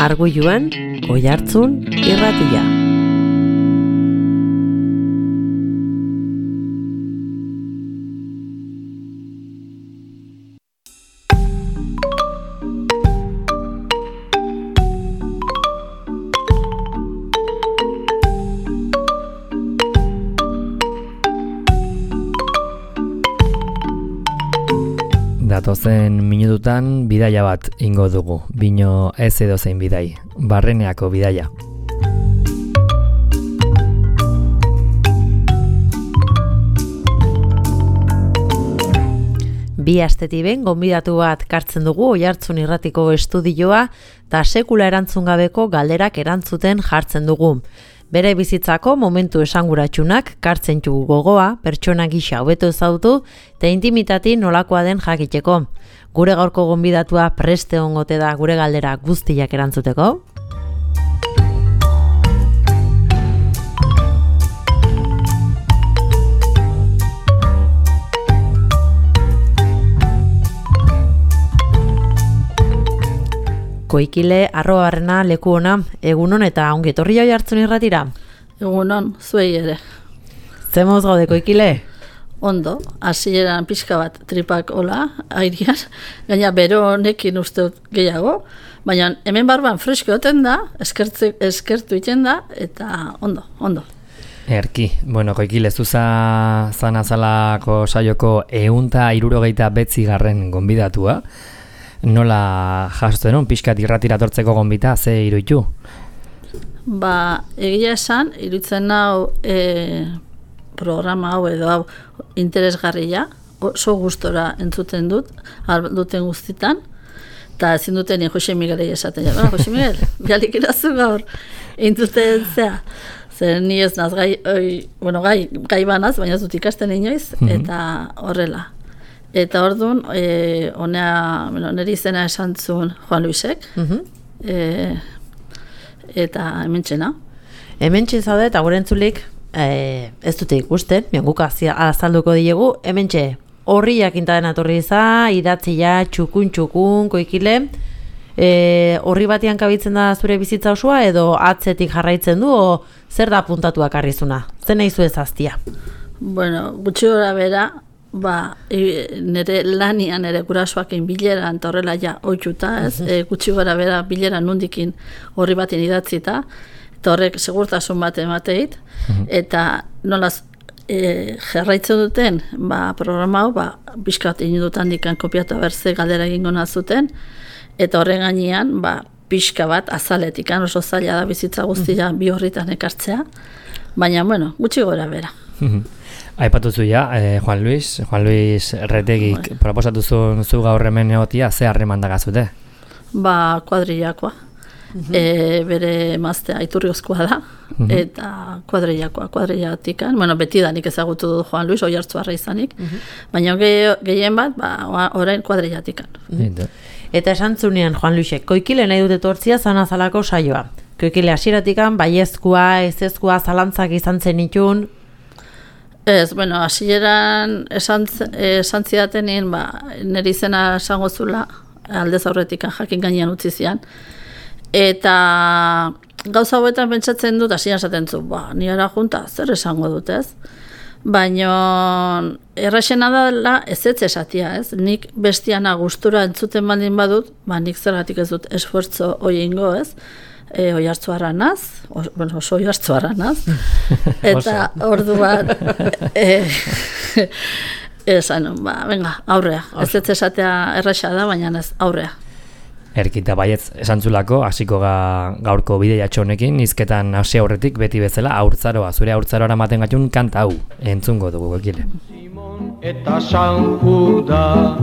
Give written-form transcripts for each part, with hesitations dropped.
Arguiluan, Oihartzun irratia. Datozen minututan bidaia bat ingo dugu, bino ez edozein bidai, Barreneako bidaia. Bi astetik behin gonbidatu bat kartzen dugu Oihartzun irratiko estudioa eta sekula erantzun gabeko galderak erantzuten jartzen dugu. Bere bizitzako momentu esanguratsunak kartzen dugu gogoa, pertsona gisa hobeto ezagutu eta intimitati nolakoa den jakiteko. Gure gaurko gonbidatua preste ongote da gure galdera guztiak erantzuteko. Koikile @barrena leku ona, egunon eta ongi etorri Oihartzun irratira. Egunon, zuei ere. Zemoz gaude Koikile? Ondo, hasieran pixka bat tripak hola, airian, gaina bero honekin uste gehiago, baina hemen barban fresko oten da, eskertu iten da, eta ondo. Erki, bueno, Koikile, zuza zanazalako saioko 169. gonbidatua. Nola jasotzen hon, pixkat irratira tortzeko gonbita, ze iruditu? Egia esan, iruditzen hau programa hau edo hau interesgarria, oso gustora entzuten duten guztitan, eta ezin duten Jose Miguelei esaten jara. Jose Miguel, bialik irazu gaur, entzuten zea. Zer ni ez naz gai banaz, baina ez dut ikasten inoiz, eta horrela. Eta orduan, niri izena esan zuen Juan Luisek, eta hementxena. Hementxe zaude eta gure entzulik, ez dute ikusten, guk azalduko diegu, hementxe horriak intaden atorri idatzia, txukun, Koikile, horri batian kabitzen da zure bizitza osoa, edo atzetik jarraitzen du, o zer da puntatuak arrizuna? Zer nahi zu ezaztia? Bueno, gutxi gora bera, nire lanian, nire gurasoakin bileran, eta horrela ja oitxuta, gutxi gora bera bileran nundikin horri batin idatzita, eta horrek segurtasun bat emateit, eta nolaz jarraitzen duten programa hau, pixkat inudutan dikan kopiatu berze galdera egingo nazuten, eta horren gainean, pixka bat azaletikan, oso zaila da bizitza guztia bi horritan ekartzea, baina, gutxi gora bera. Aipatu zuia, Juan Luis Retegik proposatu zu gaur hemen egotia, ze harreman dagazute? Kuadrillakoa. Bere emaztea Iturriozkoa da, eta kuadrillatikan. Beti da nik ezagutu dut Juan Luis, Oihartzuarra izanik, baina gehien bat, orain kuadrillatikan. Eta esan zunean, Juan Luisek, Koikile nahi dute tortzia zanazalako saioa. Koikile hasieratikan, baiezkoa, ezezkoa, zalantzak izan zen itun. Ez, hasieran esan zidatenin, nire izena esango zula, aldez aurretik jakin gainean utzi zian. Eta gauza hauetan pentsatzen dut, hasieran esaten zu, ni ara junta, zer esango dut, ez? Baina erraxena dela ez esatia, ez? Nik bestiana gustura entzuten baldin badut, nik zergatik ez dut esfuerzo hoi ingo, ez? Oihartzuarra naz, oso Oihartzuarra naz, eta orduan esan, venga, aurrea, ez esatea erraxa da, baina ez aurrea. Erkita baietz esantzulako, hasiko gaurko bideia txonekin, hizketan hasi aurretik beti bezala haurtzaroa, zure haurtzaroara maten gatun kanta hau, entzungo dugu Koikile. Eta San Juda,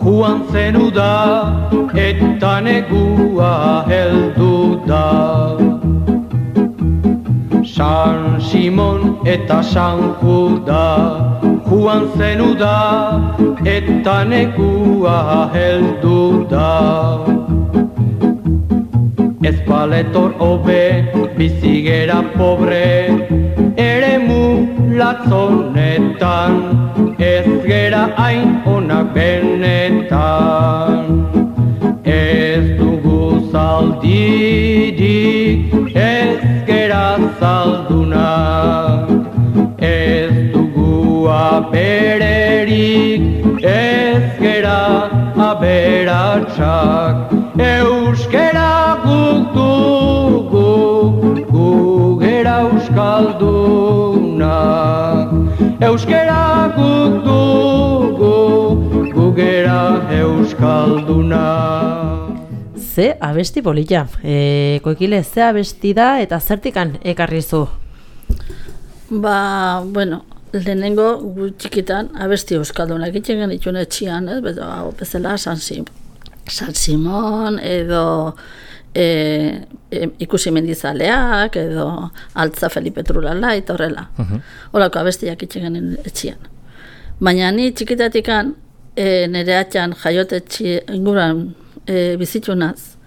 Juan zenu da, eta negua heldu da. San Simon eta San Juda, Juan zenu da, eta negua heldu da. Ez paletor hobe, bizigera pobre, eremu latzonetan, ez gera hain onak benetan. Ez dugu zaldi zalduna. Ez dugu abererik, ez gera aberatsak. Euskera guk dugu, gu gera euskaldunak. Euskera guk dugu, gu gera euskaldunak. Ze abesti polita. Koikile, ze abesti da eta zertikan ekarri zu? Ba, bueno, lehenengo gu txikitan abesti euskaldunak egiten genituen etxian, bezala San Simon edo ikusi mendizaleak edo Altza Felipe Trulala eta horrela. Horako abestiak egiten genuen etxian. Baina ni txikitatikan nire atxan jaiotetxe inguran bizitunaz,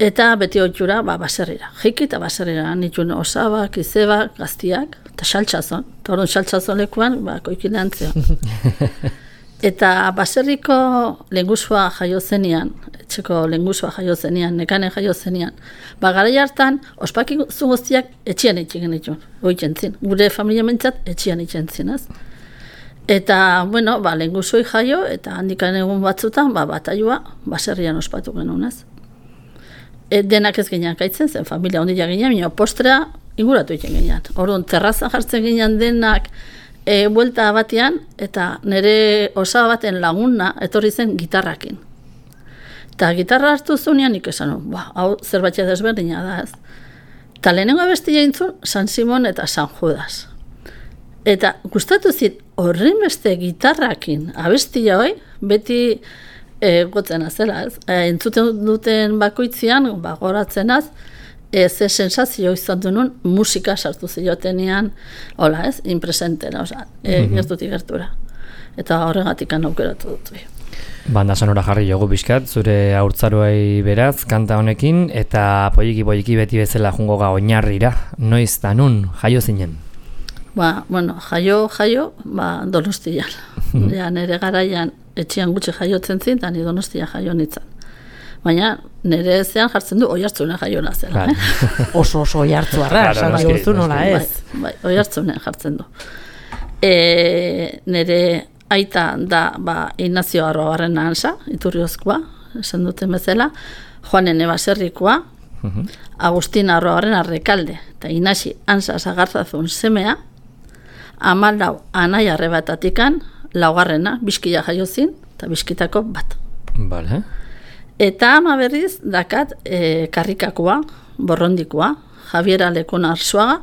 eta beti oitxura baserrira. Jiki eta baserrira nituen osabak, izebak, gaztiak, eta xaltxazon. Eta orduan xaltxazon lekuan, koikile antzion. Eta baserriko lengusua jaio zenian, etxeko lengusua jaio zenian, nekane jaio zenian, garai hartan, ospakizun guztiak etxian itxen genituen, oitzen. Gure familia mentzat etxian itxen zinez. Eta, bueno, lengusoi jaio, eta handikan egun batzutan, batailua baserrian ospatu genunez. Denak ez ginean kaitzen zen, familia ondila ginean, minio postrea inguratu egiten ginean. Orduan, terrazan jartzen ginean denak buelta batean, eta nire osaba baten laguna etorri zen gitarrakin. Eta gitarra hartu zunean nik esan, hau zerbait desberdina da ez. Eta lehenengo abestia intzun, San Simon eta San Judas. Eta gustatu zit, horren beste gitarrakin abestia hoi, beti gotzen azela, ez? Entzuten duten bakoitzian, goratzen az, ze sensazio izan duen musika sartu ziotenean, hola ez, inpresentera, gertutik gertura. Eta horregatik aukeratu dut. Banda sonora jarri jogu bizkat, zure haurtzaroei beraz, kanta honekin, eta poiki beti bezala jungo ga oinarrira, noiz da nun, jaio zinen? Bueno, jaio, Donostian. Nire garaian etxean gutxi jaiotzen zin, eta ni Donostia jaio nintzen. Baina nire zean jartzen du Oiartzunen jaio nazela. Oso oiartzuarra, esan duzu nola ez. Bai, Oiartzunen jartzen du. Nire aita da Ignacio Arruabarrena Ansa, Iturriozkoa, esan duten bezala, Juanen Baserrikoa, Agustin Arruabarrena Rekalde, eta Inasi Ansa Sagarzazun semea, 14 anaia arrebatatikan, laugarrena, Bizkia jaiozin, eta Bizkitako bat. Vale. Eta ama berriz, dakat Karrikakoa, Borrondikoa, Javiera Lekona Arzuaga,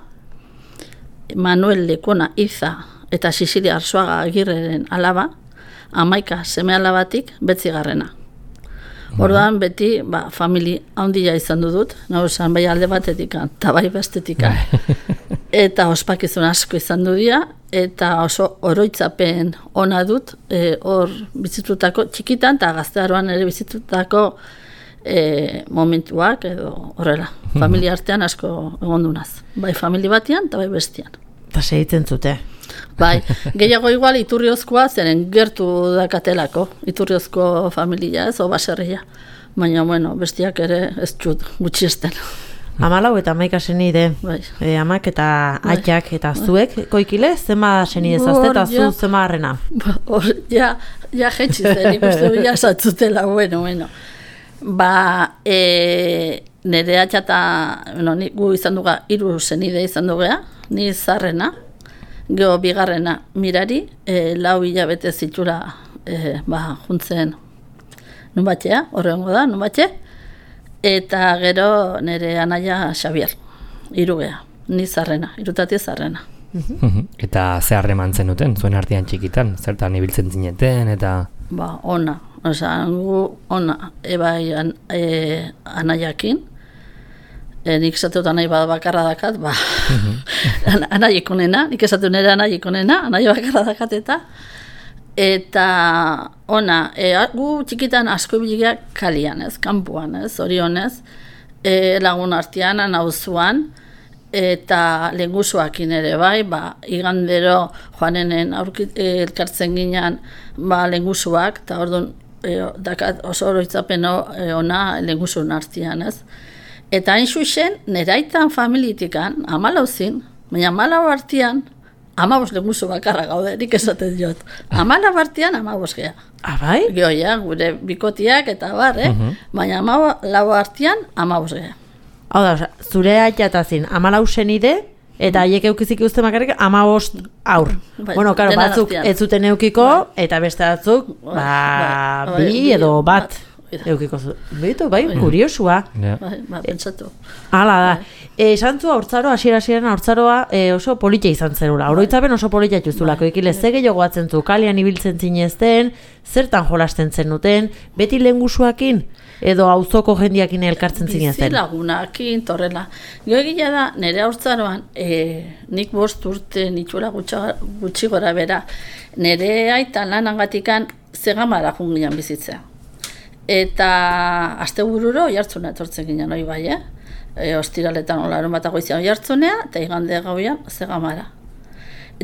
Manuel Lekona Iza eta Sicilia Arzuaga Agirreren alaba, 11 seme alabatik betzigarrena. Orduan beti, famili handia izan dut, nauzan bai alde batetik eta bai bestetik. Eta ospakizun asko izan dira, eta oso oroitzapen ona dut, hor bizitutako txikitan eta gaztearoan ere bizitutako momentuak edo horrela. Familia artean asko egondunaz. Bai famili batean eta bai bestian. Eta segitzen zute. Bai, gehiago igual Iturriozkoa zeren gertu dakatelako, Iturriozko familia ez, o baserria. Baina, bueno, bestiak ere ez txut gutxiesten. 14 eta 11 senide, amak eta aitak eta zuek, koikile, zema senide zazte eta zu zema harrena? Ja jetxizen, ikustu ja satzutela, bueno. Nire atxata, gu izan duga, 3 senide izan dugea, ni zarrena, geho bigarrena mirari, 4 hilabete zitura juntzen nun batxea, horrengo da, nun batxe, eta gero nire anaia Xabier, 3 ni zarrena, 3 zarrena. Eta ze harremantzen duten, zuen artean txikitan, zertan ibiltzen zineten, eta... Ona, ona, ebai anaiakin, nik esatut anai bakarra dakat, anaikonena, nik esatu nire anaikonena, anai bakarra dakat eta ona, gu txikitan asko biligeak kalian, kanpuan, orionez, lagun artean, nauzuan, eta lengusuakin ere bai, igandero joanenen elkartzen ginean lengusuak, eta orduan dakat oso oroitzapen ona lengusun artean, Eta hain zuzen, neraitan familitikan, 14, baina 14 artian, 15 lehenguzu bakarra gaude, nik esaten diot. 15 artian, 15 geha. Bai? Gioia, gure bikotiak eta bar, baina 14 artian, 15 geha. Hau da, zure aitatazin, 14 senide, eta haiek eukizik uste makarrik 15 aur. Bai, Bueno, karo, dena batzuk artean. ez zuten eukiko, eta beste batzuk, bi edo bat. Eukiko zu. Beto, bai, kuriosua. Ja. Pentsatu. Hala da. Esan zu haurtzaro, hasiera-hasieran haurtzaroa oso politia izan zerula. Oroitzapen oso politia juzulako. Ikile, ze gehiago batzen zu, kalian ibiltzen zinezten, zertan jolasten zenuten, beti lehengusuakin, edo auzoko jendiakin elkartzen zinezten. Bizilagunakin, torrela. Gio egia da, nire haurtzaroan, nik 5 urte nitxura gutxi gora bera, nire aita lanangatikan Zegamara junginan bizitzea. Eta astebururo oihartzuna etortzen ginen hori bai, ostiraletan larun bat goizean oihartzunea, eta igande gauean Zegamara.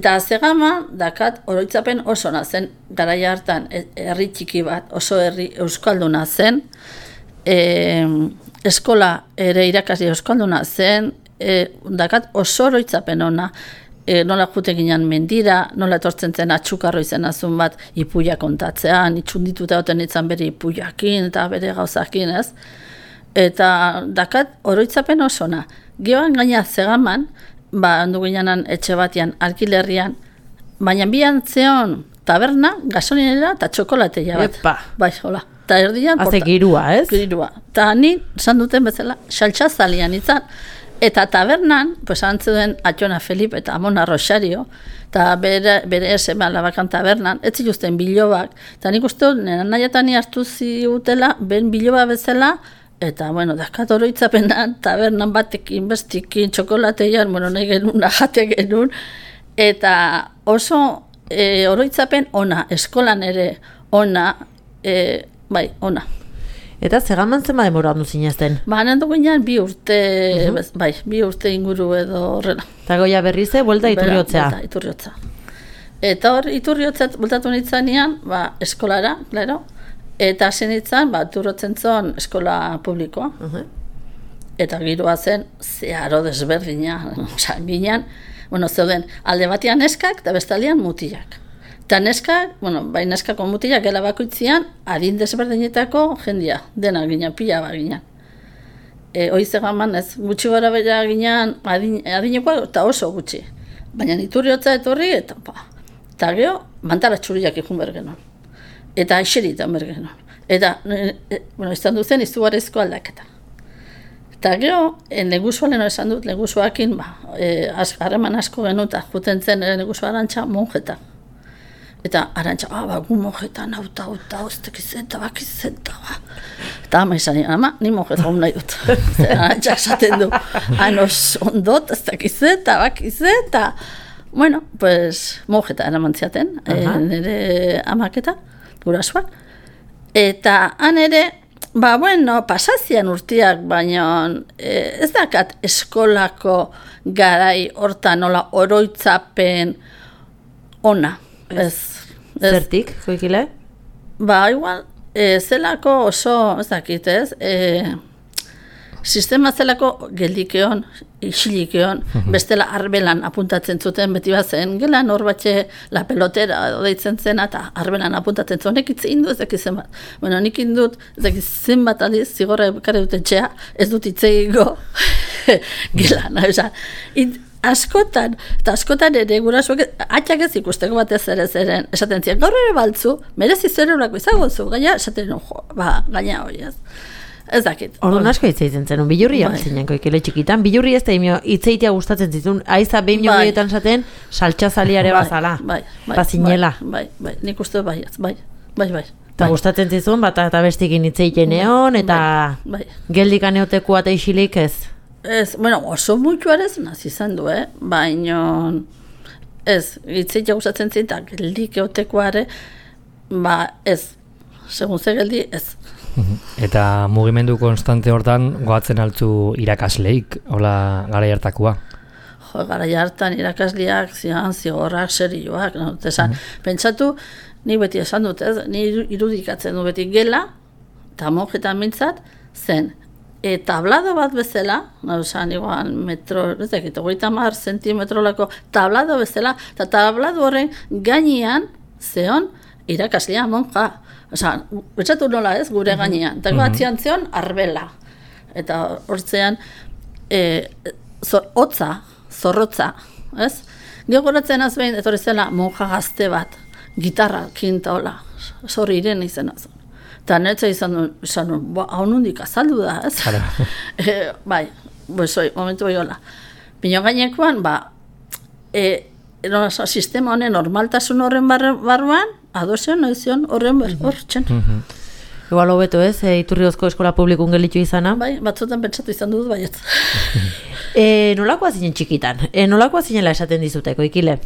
Eta Zegama dakat oroitzapen oso zen, garaia hartan herri txiki bat, oso herri euskalduna zen, eskola ere irakasle euskalduna zen, dakat oso oroitzapen ona, nola jute ginen mendira, nola etortzen zen atxukarro izan azun bat ipuia kontatzean, itxundituta oten itzan bere ipuiakin eta bere gauzakin, ez? Eta dakat oroitzapen osona. Gioan gaina Zegaman, handu ginenan etxe batian, alkilerrian, baina bian zeon taberna, gasolinera eta txokolateia bat. Epa. Bai, hola. Eta erdian... Haze girua, ez? Girua. Eta ni, esan duten bezala, saltxazalian izan. Eta tabernan, pues antzuden Atxona Felipe eta Amona Rosario, eta bere eseme alabakan tabernan, ez zituzten bilobak. Eta nik uste nena nahiatani hartu ziutela, ben biloba bezala, eta, bueno, dakat oroitzapenan, tabernan batekin, bestikin, txokolateian, bueno, nahi genuen, jate genuen, eta oso oroitzapen ona, eskolan ere ona, bai, ona. Eta Zegaman zenba denbora handu zinezten? Hanen dugunean 2 urte, bai, 2 urte inguru edo horrela. Eta goia berrize, buelta Iturriotzea. Buelta Iturriotza. Eta hor, Iturriotzat bueltatu nintzanean, eskolara, claro, eta hasi nintzen, Iturrotzen zon eskola publikoa. Eta giroa zen, zeharo desberdina, ginen, bueno, zeuden, alde batean neskak eta bestaldean mutilak. Eta neskak, bueno, bai neskako mutilak gela bakoitzian, adin desberdinetako jendia, dena ginen, pila bat ginen. Hoi Zegaman ez, gutxi gara bera ginen, adinekoa eta oso gutxi. Baina Iturriotza etorri, eta gero, mantara txuriak ikun bergenon. Eta aixeritan bergenon. Eta, bueno, izan duzen izugarrizko aldaketa. Eta gero, legusualen esan dut, legusuakin, harreman asko genuta, juten zen legusu Arantxa monjeta. Eta Arantxa, gu monjeta, nauta, oztek izenta, bakizenta, Eta ama izan, ama, ni monjeta hon nahi dut. Arantxa esaten du, anos ondot, oztek izenta, bakizenta. Bueno, pues, monjeta eraman ziaten, nire amaketa, gurasuak. Eta han ere, bueno, pasazian urtiak, baina ez dakat eskolako garai hortan nola oroitzapen ona. Ez. Zertik, Koikile? Igual, zelako oso, ez dakit, ez? Sistema zelako geldikeon, isilikeon, bestela arbelan apuntatzen zuten beti bat zen, gelan hor batxe la pelotera deitzen zena, eta arbelan apuntatzen zuen, nek itzein du ez dakizen bat. Bueno, nik indut, ez dakizen bat aldiz, zigorra ekare dut etxea, ez dut itzeigo gelan, askotan ere gurasuak, atxak ez ikusteko batez ere zeren, esaten ziren, gaur ere baltzu, merezi zerurako izango zu, gaina, esaten gaina hori ez. Ez dakit. Orduan asko itzeitzen zen, bilurria zinen Koikile txikitan, bilurri ez da itzeitea gustatzen zituen, aiza behin horietan zaten, saltxazaliare bazala, pazinela. Bai, nik uste bai. Eta gustatzen zizun, bat eta bestikin itzeiten egon, eta geldikan eotekua eta isilik ez. Ez, bueno, oso mutuarez nazi izan du, baina ez, itzeitea gustatzen zin, eta geldik eotekoare, ez, segun ze geldi, ez. Eta mugimendu konstante hortan goatzen altzu irakasleik, hola garai hartakoa? Garai hartan irakasleak, zigorrak, serioak, pentsatu, ni beti esan dut, ni irudikatzen du beti gela, eta monjetan mintzat, zen, tablado bat bezala, osan igual metro, ez dakit, 30 zentimetrolako tablado bezala, eta tablado horren gainean zeon irakaslea monja. Osa, betxatu nola ez, gure gainean. Eta atzian zeon arbela. Eta hortzean, hotza, zorrotza, ez? Geogoratzen azbein, etorri zela monja gazte bat, gitarra, kinta hola, zorri Irene izena zuen. Eta netza izan duen, hau nondik azaldu da, ez? Bai, momentu bai hola. Pino gainekoan, sistema honen normaltasun horren barruan, adozion, noizion, horren hortzen. Igual hobeto ez, Iturriozko eskola publikun gelitu izana? Bai, batzutan pentsatu izan dut, baiet. Nolakoa zinen txikitan? Nolakoa zinela esaten dizuteko, ikile?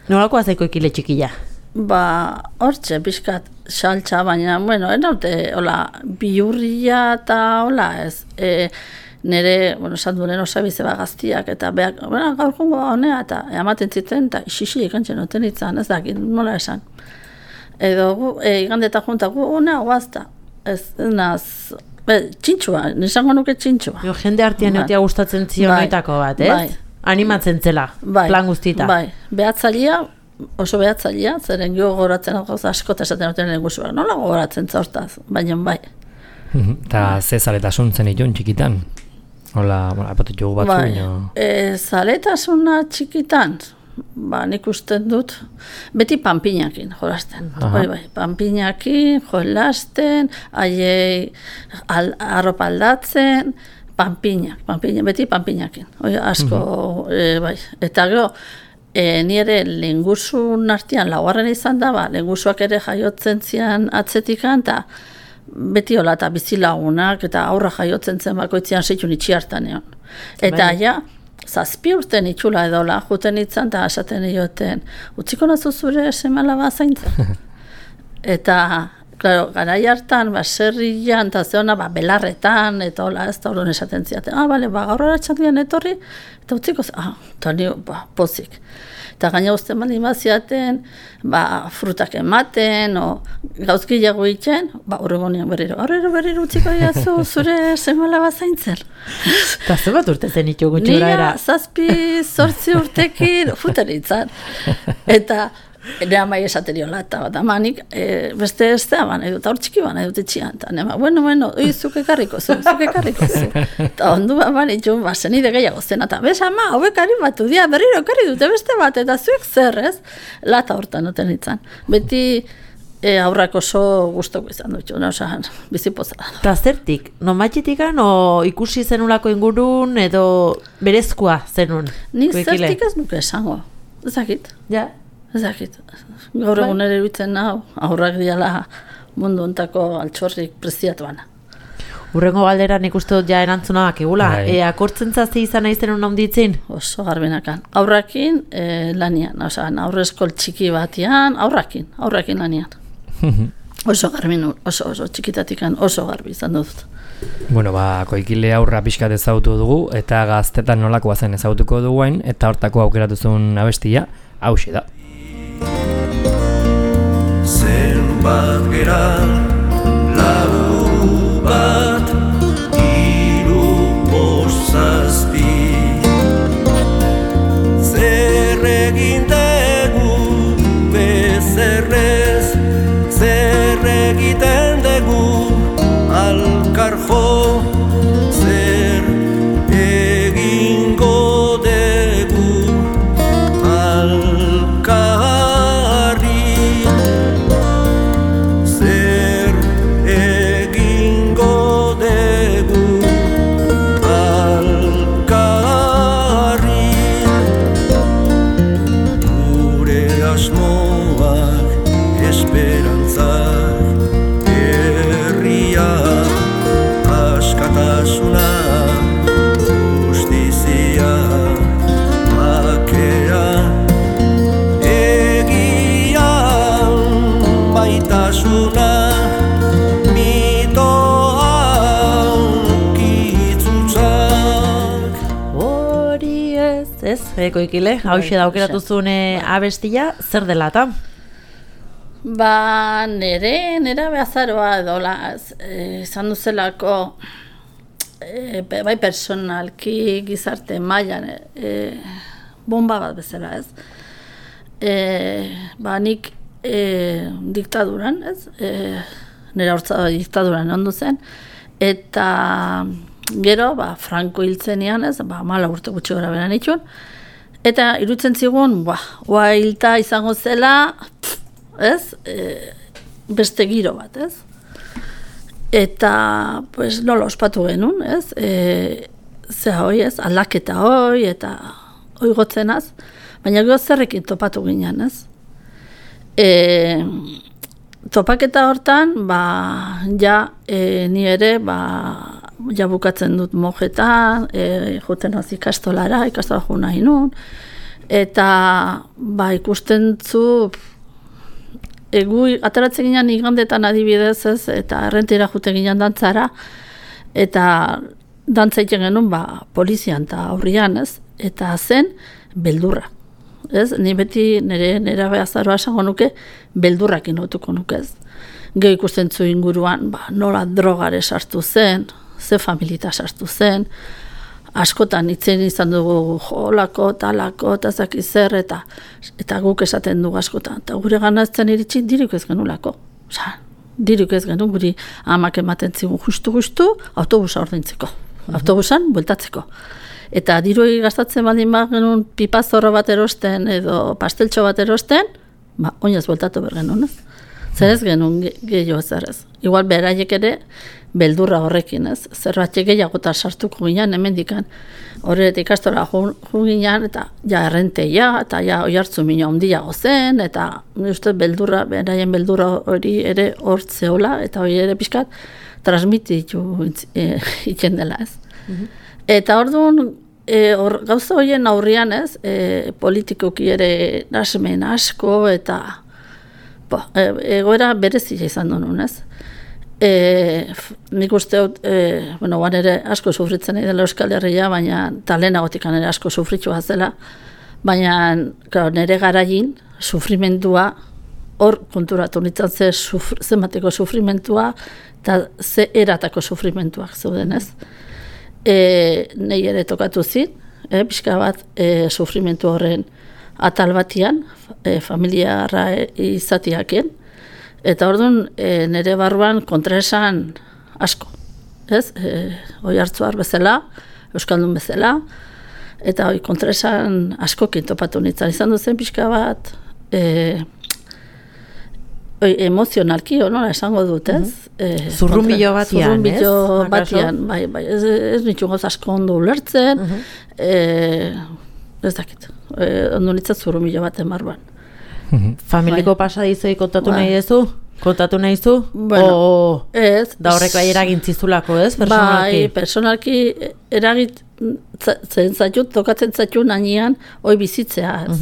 Nolakoa zaiko ikile txikila? Hortxe, pixkat, saltza, baina, bueno, enaute, hola, bihurria eta hola, ez, nire, esan duen osabize gaztiak, eta behak, gaur jongo honea, eta ematen ziten, eta xixi ikantzen noten itzan, ez dakit, nola esan. Edo, igandeta junta, honea guazta, ez, naz, txintxua, nisango nuke txintxua. Jende artean eutia gustatzen zion noitako bat, ez? Bai. Animatzen zela, plan guztita. Bai, behatzailea, oso behatzailea, zeren gogoratzen gauza asko eta esaten duten egusuak. Nola gogoratzen zaurtaz, baina bai. Eta ze zaletasun zen itun txikitan? Hola, apatu jugu batzu baino. Zaletasuna txikitan, nik usten dut, beti panpinakin jolasten. Bai, panpinakin, jolasten, aiei arropa aldatzen, beti panpinakin. Asko, bai. Eta gero, nire lengusun artean laugarren izan da, lengusuak ere jaiotzen zian atzetikan, eta beti hola eta bizilagunak, eta aurra jaiotzen zen bakoitzean zeitun itxiartan egon. Eta ja, 7 urten itxula edola, juten itzan, eta esaten ioten, utziko nazu zure seme-alaba zaintzen. Eta, claro, garai hartan, serrian, eta zeona, belarretan, eta hola, ez da horren esaten ziaten. Bale, gaur horatxan etorri, eta utziko, eta nio, pozik. Eta gaina usten bali maziaten, frutak ematen, gauzkilago itxen, horregonean berriro utziko diazu zure seme-alaba zaintzen. Eta ze bat urte zen itxo gutxura era? Nira 7-8 urtekin futaritzan. Eta ere amai esateriola, eta manik beste ez da, eta hor txiki nahi dut etxian. Eta nema, bueno, zuke karriko zu. Eta ondu itxun, zenide gehiago zen, eta bez ama, hauek ari batu dia, berriro karri dute beste bat, eta zuek zer, ez? Lata hortan noten itzan. Beti aurrak oso guztoko izan dut, osan, bizipozela. Eta zertik, nomatxitikan, ikusi zenulako ingurun, edo berezkoa zenun? Nik zertik ez nuke esango, ezakit. Ja. Ezakit, gaur egun ere bitzen nahu, aurrak diala mundu ontako altxorrik preziatuana. Urrengo galdera nik uste dut ja erantzuna bakigula. Akortzen zazte izan nahi zenun onditzin? Oso garbenakan. Aurrakin lanian, aurreskol txiki batian, aurrakin lanian. Oso garbin, oso txikitatikan oso garbi izan dut. Bueno, koikile aurra pixkat ezagutu dugu, eta gaztetan nolakoa zen ezagutuko duguen, eta hortako aukeratuzun abestia, hauxe da. Zenbat gera, lau bat, 3, 5, 6. Zer egin dugu bezerrez, zer egiten dugu alkarjo, zer egingo dugu Koikile, hauxe da aukeratuzun abestia, zer dela eta? Nere behazaroa edola, izan duzelako bai personalki gizarte mailan bomba bat bezala, ez? Nik diktaduran, ez? Nera hortza diktaduran ondu zen, eta gero, Franco hiltzenian, ez? 14 urte gutxi gora beran itxun, eta iruditzen zigun, hilta izango zela, ez? Beste giro bat, ez? Eta, nola ospatu genuen, ez? Zea hoi, ez? Aldaketa hoi, eta hoi gotzenaz, baina gero zerrekin topatu ginen, ez? Topaketa hortan, ni ere, ja bukatzen dut mojetan, juten haz ikastola jo nahi nun, eta ikusten zu, gu ateratzen ginen igandetan adibidez, ez, eta errentira juten ginen dantzara, eta dantzaiten genuen polizian eta aurrian, ez, eta zen beldurra. Ez, ni beti nera behazaroa esango nuke, beldurrak inotuko nuke, ez. Gero ikusten zu inguruan, nola drogare sartu zen, ze familita sartu zen, askotan itzen izan dugu jolako, talako, eta zakizer, eta guk esaten dugu askotan. Eta gure ganazten iritsi diruk ez genulako. Diruk ez genuen, guri amak ematen zigun justu, autobusa ordaintzeko. Autobusan, bueltatzeko. Eta dirui gastatzen baldin genuen pipazorro bat erosten edo pasteltxo bat erosten, oinaz bueltatu behar genuen, ez? Zer ez genuen gehiago zer ez. Igual beraiek ere beldurra horrekin, ez? Zerbatik gehiagotan sartuko ginen, hemendikan horretik ikastora jo ginen, eta errenteia, eta oihartzu mina ondiago zen, eta uste beldurra, beraien beldurra hori ere hor zeola, eta hori ere pixkat transmititu itzen dela, ez? Eta orduan, gauza horien aurrian, ez, politikoki ere nasmen asko, eta egoera berezia izan duen, ez? Nik uste dut, guan ere asko sufritzen nahi dela Euskal Herria, baina talenagotikan ere asko sufritua zela, baina nire garain sufrimendua, hor konturatu nintzen zenbateko sufrimentua, eta ze eratako sufrimentuak zeuden, ez? Nei ere tokatu zin, pixka bat sufrimentu horren atal batian, familiarra izatiaken, eta orduan nire barruan kontraesan asko, ez? Oihartzuar bezala, euskaldun bezala, eta kontraesan askokin topatu nintzen. Izan duzen pixka bat emozionalki, nola esango dut, ez? Zurrunbilo batian, Zurrunbilo batian, bai, ez nitu gauz asko ondo ulertzen, ez dakit, ondo nintzen zurrunbilo baten barruan. Familiko pasadizoi kontatu nahi dezu? Kontatu nahi zu? Bueno, ez. Da horrek bai eragintzizulako, ez? Personalki? Bai, personalki tokatzen zaitut nanian hoi bizitzea, ez.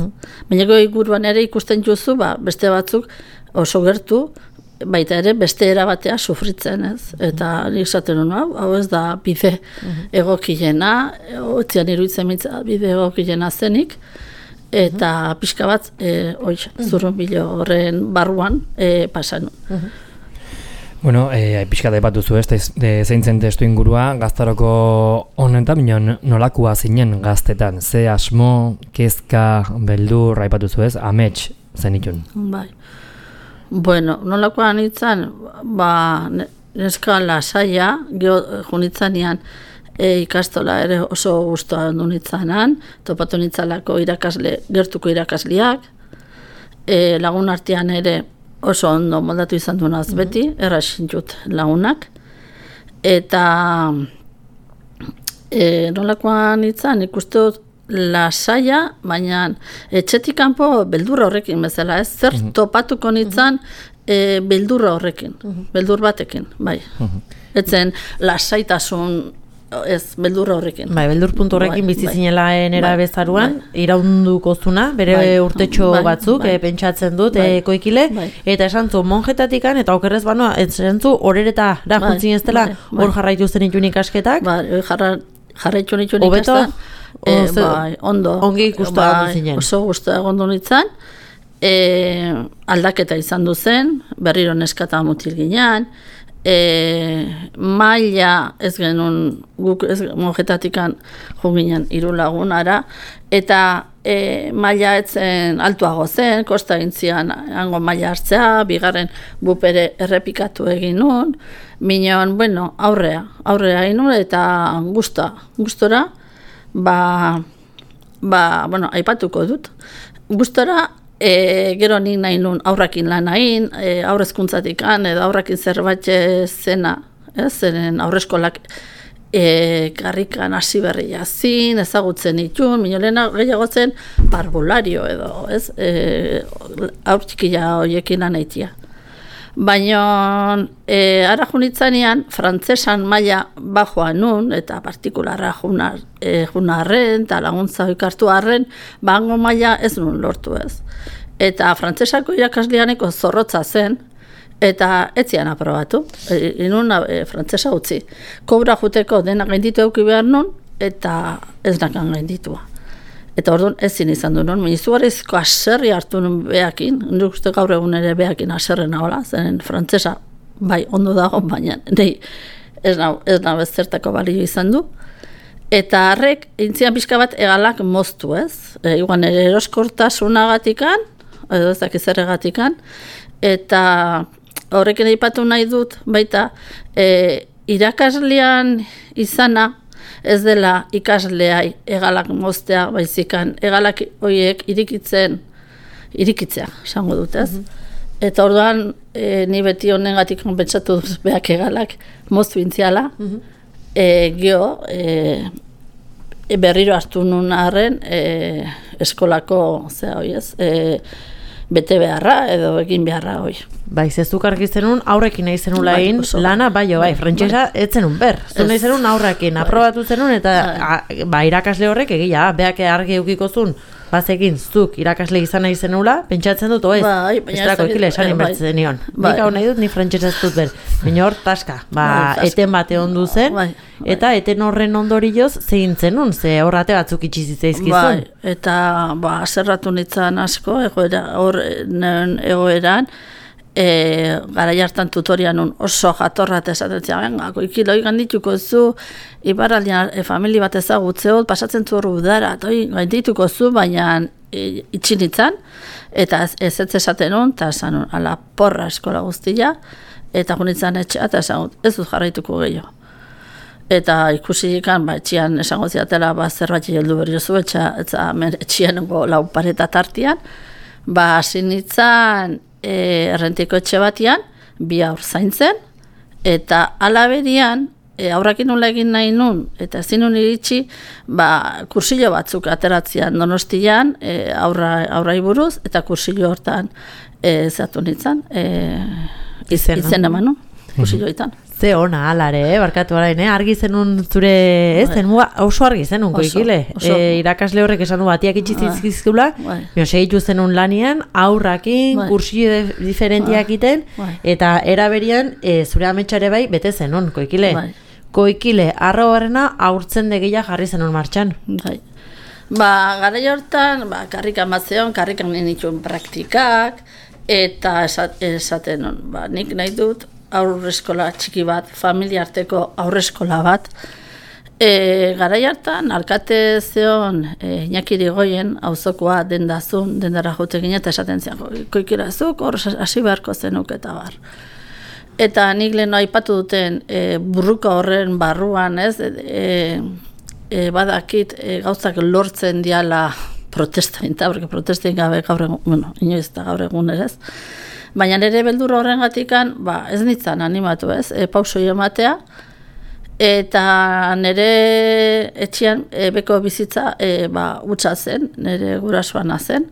Baina goi guruan ere ikusten juzu, beste batzuk oso gertu, baita ere beste erabatea sufritzen, ez. Eta nik esaten honu, hau ez da bide egokilena, otzian iruditzen mitza bide egokilena zenik, eta pixka bat zurrunbilo horren barruan pasan. Bueno, pixka da epatuzu zeintzen testu ingurua, gaztaroko honetan, nolakua zinen gaztetan, ze asmo, kezka, beldur, aipatuzu ez, amets zenitun. Bai. Bueno, nolakoa nintzen, neska lasaia, junitzanean ikastola ere oso gustoa ondu nitzanan, topatu nitzalako gertuko irakasliak, lagun artean ere oso ondo moldatu izan duenaz beti, erraxintut lagunak, eta nolakoa nintzen ikustu lasaia, baina etxetik kanpo beldurra horrekin bezala, ez? Zer topatuko nintzen beldurra horrekin, beldur batekin, bai. Etzen lasaitasun ez, beldurra horrekin. Bai, beldur puntu horrekin bizizinela nera bezaruan, iraunduko zuna, bere urtetxo batzuk, pentsatzen dut, koikile, eta esan zu monjetatikan, eta okerrez banoa, esan zu horeretara juntzin ez dela, hor jarraitu zen itun ikasketak. Jarraitu nituen ikastan, ondo. Ongi guztua zinen. Oso guztua egondu nintzen, aldaketa izan duzen, berriro neskata mutil ginean, maila ez genuen, guk ez monjetatikan juginen 3 lagunara, eta maila etzen altuago zen, kosta gintzian hango maila hartzea, bigarren bupere errepikatu egin nun, minon, bueno, aurrea egin nun, eta gustora, bueno, aipatuko dut, gustora, gero nik nahi nun aurrakin lan hain, aurrezkuntzatikan edo aurrakin zerbait zena, zeren aurreskolak karrikan hasi berria zin, ezagutzen itun, minolena gehiago zen parvulario edo, aurtxikila horiekin lan haitia. Baina ara junitzanean, frantzesan maila bajoa nun, eta partikularra junarren, eta laguntza ikartu arren, hango maila ez nun lortu ez. Eta frantzesako irakasleaneko zorrotza zen, eta etzian aprobatu. Inun frantzesa utzi. Kobra juteko dena gainditu euki behar nun, eta ez nakan gainditua. Eta orduan ezin izan du nun, izugarrizko aserri hartu nun behakin, nik uste gaur egun ere behakin aserrena hola, zeren frantzesa bai ondo dago, baina nahi ez nau zertako balio izan du. Eta harrek, intzian pixka bat egalak moztu ez, iguan ere eroskortasunagatikan, edo ez dakiz erregatikan, eta horrekin aipatu nahi dut, baita, irakaslean izana, ez dela ikasleai egalak moztea, baizikan egalak horiek irikitzea, esango dut, ez? Eta orduan, ni beti honengatik pentsatu dut behak egalak moztu intziala, geho, berriro hartu nun arren eskolako, bete beharra edo egin beharra hoi. Bai, zezuk argi zenun aurrekin nahi zenula egin lana, bai, frantsesa ez zenun ber. Zu nahi zenun aurrekin, aprobatu zenun, eta irakasle horrek egia, beak argi eukiko zuen, bazekin zuk irakasle izan nahi zenula, pentsatzen dut, estrako ekile esan inbertzen nion. Nik hau nahi dut, ni frantsesa ez dut ber. Baina hor, taska, eten bate ondu zen, eta eten horren ondorioz zein zenun, ze horrate batzuk itxizitzaizkizun. Eta zerratu nintzen asko, egoeran, gara jartan tutorian oso jatorrat esaten zian, ikiloi gandituko zu, iparraldean familia bat ezagutzeo, pasatzen zu horru udara, gaindituko zu, baina itxinitzan, eta ez esaten hon, eta esan hon, ala porra eskola guztia, eta junitzen etxea, eta esan ez dut jarraituko gehiago. Eta ikusi ikan, etxian esango ziatela, zerbait heldu berriozu, etxian lau pareta tartian, hasi nintzen, errentiko etxe batian, 2 haur zaintzen, eta alaberian, aurrakin nola egin nahi nun, eta ezin nun iritsi, kursillo batzuk ateratzean Donostian, aurrai buruz, eta kursillo hortan zatu nintzen, izen eman nun, kursilloetan. Ze ona, alare, barkatu arain, argi zenun zure, oso argi zenun, koikile. Irakasle horrek esan du batiak itxizizkizkula, segitu zenun lanian, aurrakin, kursillo diferentiak iten, eta eraberian zure ametxare bai bete zenun, koikile. Koikile, arro barrena aurtzen degeia jarri zenun martxan. Gara hortan, karrikan bat zeon, karrikan ninituen praktikak, eta esaten non, nik nahi dut, aurreskola txiki bat, familia arteko aurreskola bat. Garai hartan, alkate zeon Iñaki Irigoyen, auzokoa dendara jotegin eta esaten zian, koikirazuk, hor hasi beharko zenuk eta bar. Eta nik leheno aipatu duten burruka horren barruan, badakit gauzak lortzen diala protestain, porque protestain gabe gaur egun, inoiz eta gaur egun ere ez. Baina nire beldur horrengatikan, ez nintzen animatu pausoi ematea, eta nire etxean beko bizitza utza zen, nire gurasoana zen,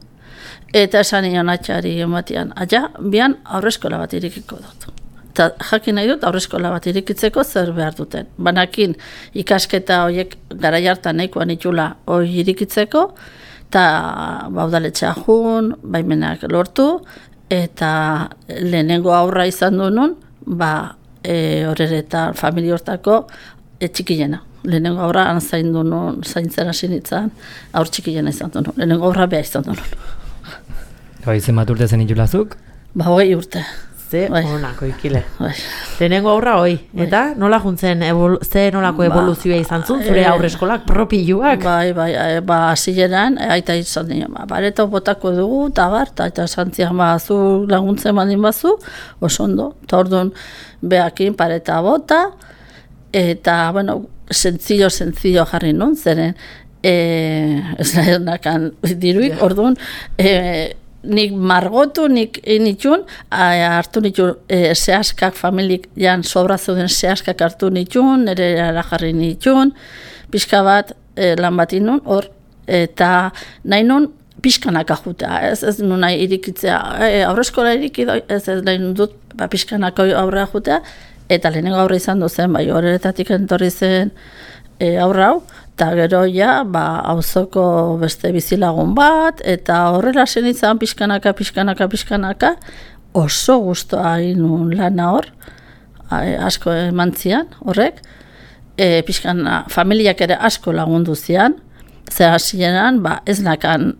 eta esan nion atxari ematean, bian aurreskola bat irikiko dut. Eta jakin nahi dut aurreskola bat irikitzeko zer behar duten. Banakin ikasketa horiek garai hartan nahikoan itxula hori irikitzeko, eta udaletxea jun, baimenak lortu, eta lehenengo aurra izan du nun, horretan familia hortako txikilena. Lehenengo aurra zaindu nun, zaintzen hasi nintzen, aur txikilena izan du nun. Lehenengo aurra beha izan du nun. Izen bat urte zen itulazuk? 20 urte. Ze Bai. onako ikile. Bai. Lehenengo aurra hoi, eta nola juntzen, ze nolako evoluzioa izan zuen, zure aurreskolak propioak? Bai, hasieran aita izan dira, bareta botako dugu, eta santzian zu laguntzen badin bazu, oso ondo, eta orduan behakin pareta bota, eta, bueno, sencillo jarri nun, zeren, ez nakan diruik, orduan, nik margotu, nik nitxun, hartu nitxun zehaskak familik jan sobra zeuden zehaskak hartu nitxun, nire jarri nitxun, pixka bat lan bat inun, hor, eta nahi nun pixkanaka jutea, ez nun nahi irikitzea, aurreskola irikidoi, ez nahi nun dut pixkanaka aurrea jutea, eta lehenengo aurre izan duzen, bai horretatik entorri zen aurra hau, eta gero ja, auzoko beste bizilagun bat, eta horrela zen izan pixkanaka, oso guztua inun lana hor, asko emantzian horrek, familiak ere asko lagundu zian, ze hasieran, ez nakan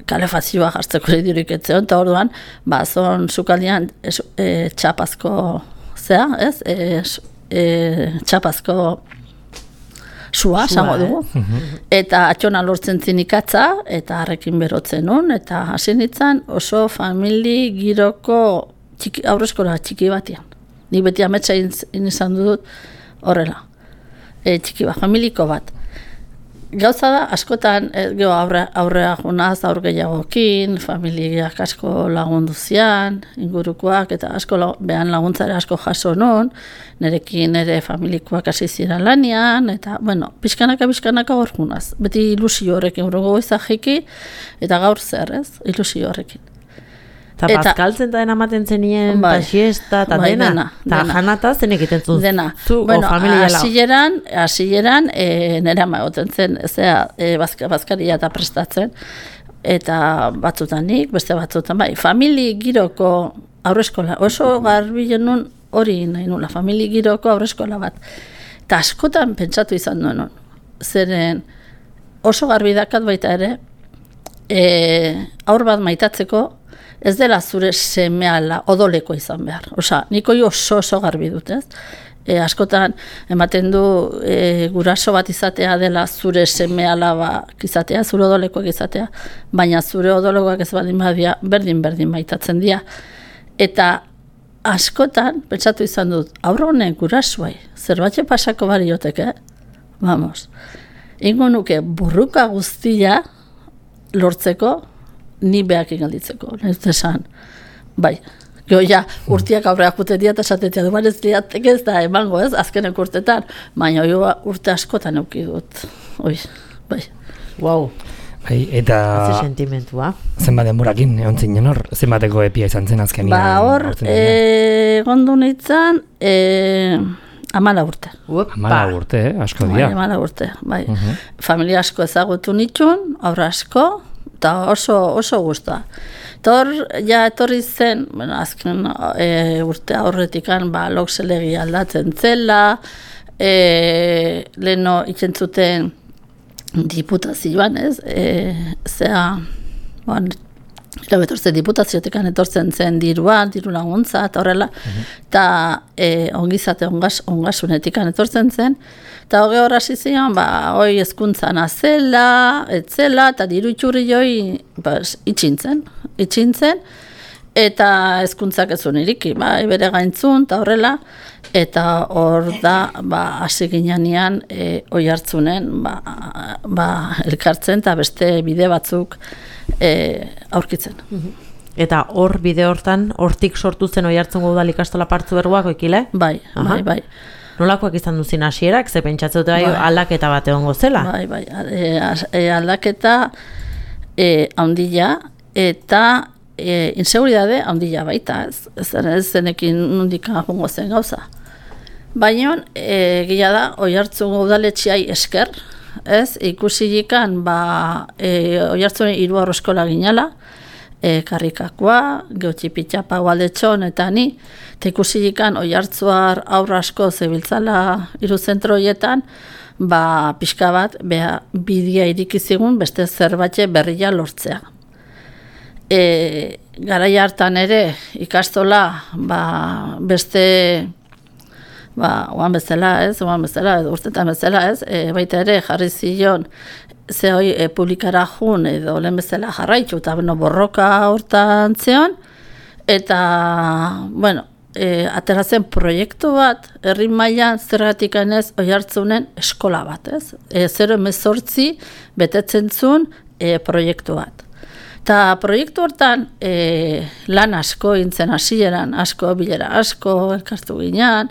kalefazioa jartzeko dirurik etzeon, eta orduan, zon sukaldian txapazko, txapazko sua, esango dugu. Eta atxona lortzen zinikatza, eta harrekin berotzen nun, eta hasi nintzen oso famili giroko aurreskola txiki batian. Nik beti ametsa izan dut horrela. Txiki bat, familiko bat. Gauza da, askotan, aurrea junaz, aur gehiagokin, familiak asko lagundu zian, ingurukoak, eta asko behan laguntzare asko jaso non, nerekin ere familikoak hasi ziren lanian, eta, bueno, pixkanaka hor junaz. Beti ilusio horrekin, urrengo goizajiki, eta gaur zer, ez? Ilusio horrekin. Eta bazkaltzen da dena maten zenien, eta siesta, eta dena. Eta janata zen egiten zuz. Dena. Bueno, hasieran, nera magoten zen, bazkaria eta prestatzen, eta batzutan nik, beste batzutan, famili giroko aurreskola, oso garbi genuen hori nahi nula, famili giroko aurreskola bat. Eta askotan pentsatu izan duen, zeren oso garbi dakat baita ere, aur bat maitatzeko, ez dela zure semeala odoleko izan behar. Osa, niko oso garbi dut, ez? Askotan, ematen du guraso bat izatea dela zure semeala izatea, zure odolekoak izatea, baina zure odolekoak ez baldin badia, berdin maitatzen dira. Eta askotan, pentsatu izan dut, aurronen gurasoai, zerbatxe pasako barioteke, vamos, ingo nuke burruka guztia lortzeko, ni behakin galditzeko, nahi dut esan. Bai, gero ja, urtiak aurreak jute dira eta esatetea du, ez liatek ez da emango ez, azkenek urtetan, baina urte askotan euki dut. Bai. Wow. Bai, eta... Ze sentimentua. Zenbat denborakin, egon zinen hor, zenbateko epia izan zen azkenian? Hor, gondu nintzen, 14 urte. 14 urte, asko dira. 14 urte, bai. Familia asko ezagutu nitxun, aurra asko, eta oso guztua. Tor, ja etorri zen, bueno, azken urte aurretikan, lokselegi aldatzen zela, leheno itxentzuten diputazioan, ez? Diputaziotekan etortzen zen diru laguntza, eta horrela, eta ongizate ongasunetik etortzen zen, eta hoge horra zizion, hoi hezkuntzan azela, etzela, eta diru itxurri joi itxintzen, eta hezkuntzak ez iriki, bere gaintzun, eta horrela, eta hor da, hasi ginean, oi hartzunen, elkartzen, eta beste bide batzuk aurkitzen. Eta hor bide hortan, hortik sortu zen oi hartzungo udal ikastola partzu berguak oikile? Bai. Nolakoak izan duzin hasierak, ze pentsatzen dut aldaketa bat egongo zela? Bai, aldaketa handila, eta inseguridade handila baita, ez zenekin nundika jongo zen gauza. Baina, gila da, oi hartzungo udaletxiai esker, ez, ikusi jikan, oi hartzuen 3 aurreskola ginala, karrikakoa, geotxipitxapa gualdetxon, eta ni, eta ikusi jikan oi hartzuar aurra asko zebiltzala 3 zentro horietan, pixka bat, bidea irikizigun beste zerbatxe berria lortzea. garai hartan ere ikastola beste oan bezala, edo urtetan bezala, baita ere jarri zion publikara jun edo lehen bezala jarraitu eta borroka hortan zeon, eta, ateratzen proiektu bat, herri mailan zergatik ez Oiartzunen eskola bat, 018 betetzen zuen proiektu bat. Eta proiektu hortan lan asko intzen hasieran, bilera asko, elkartu ginean,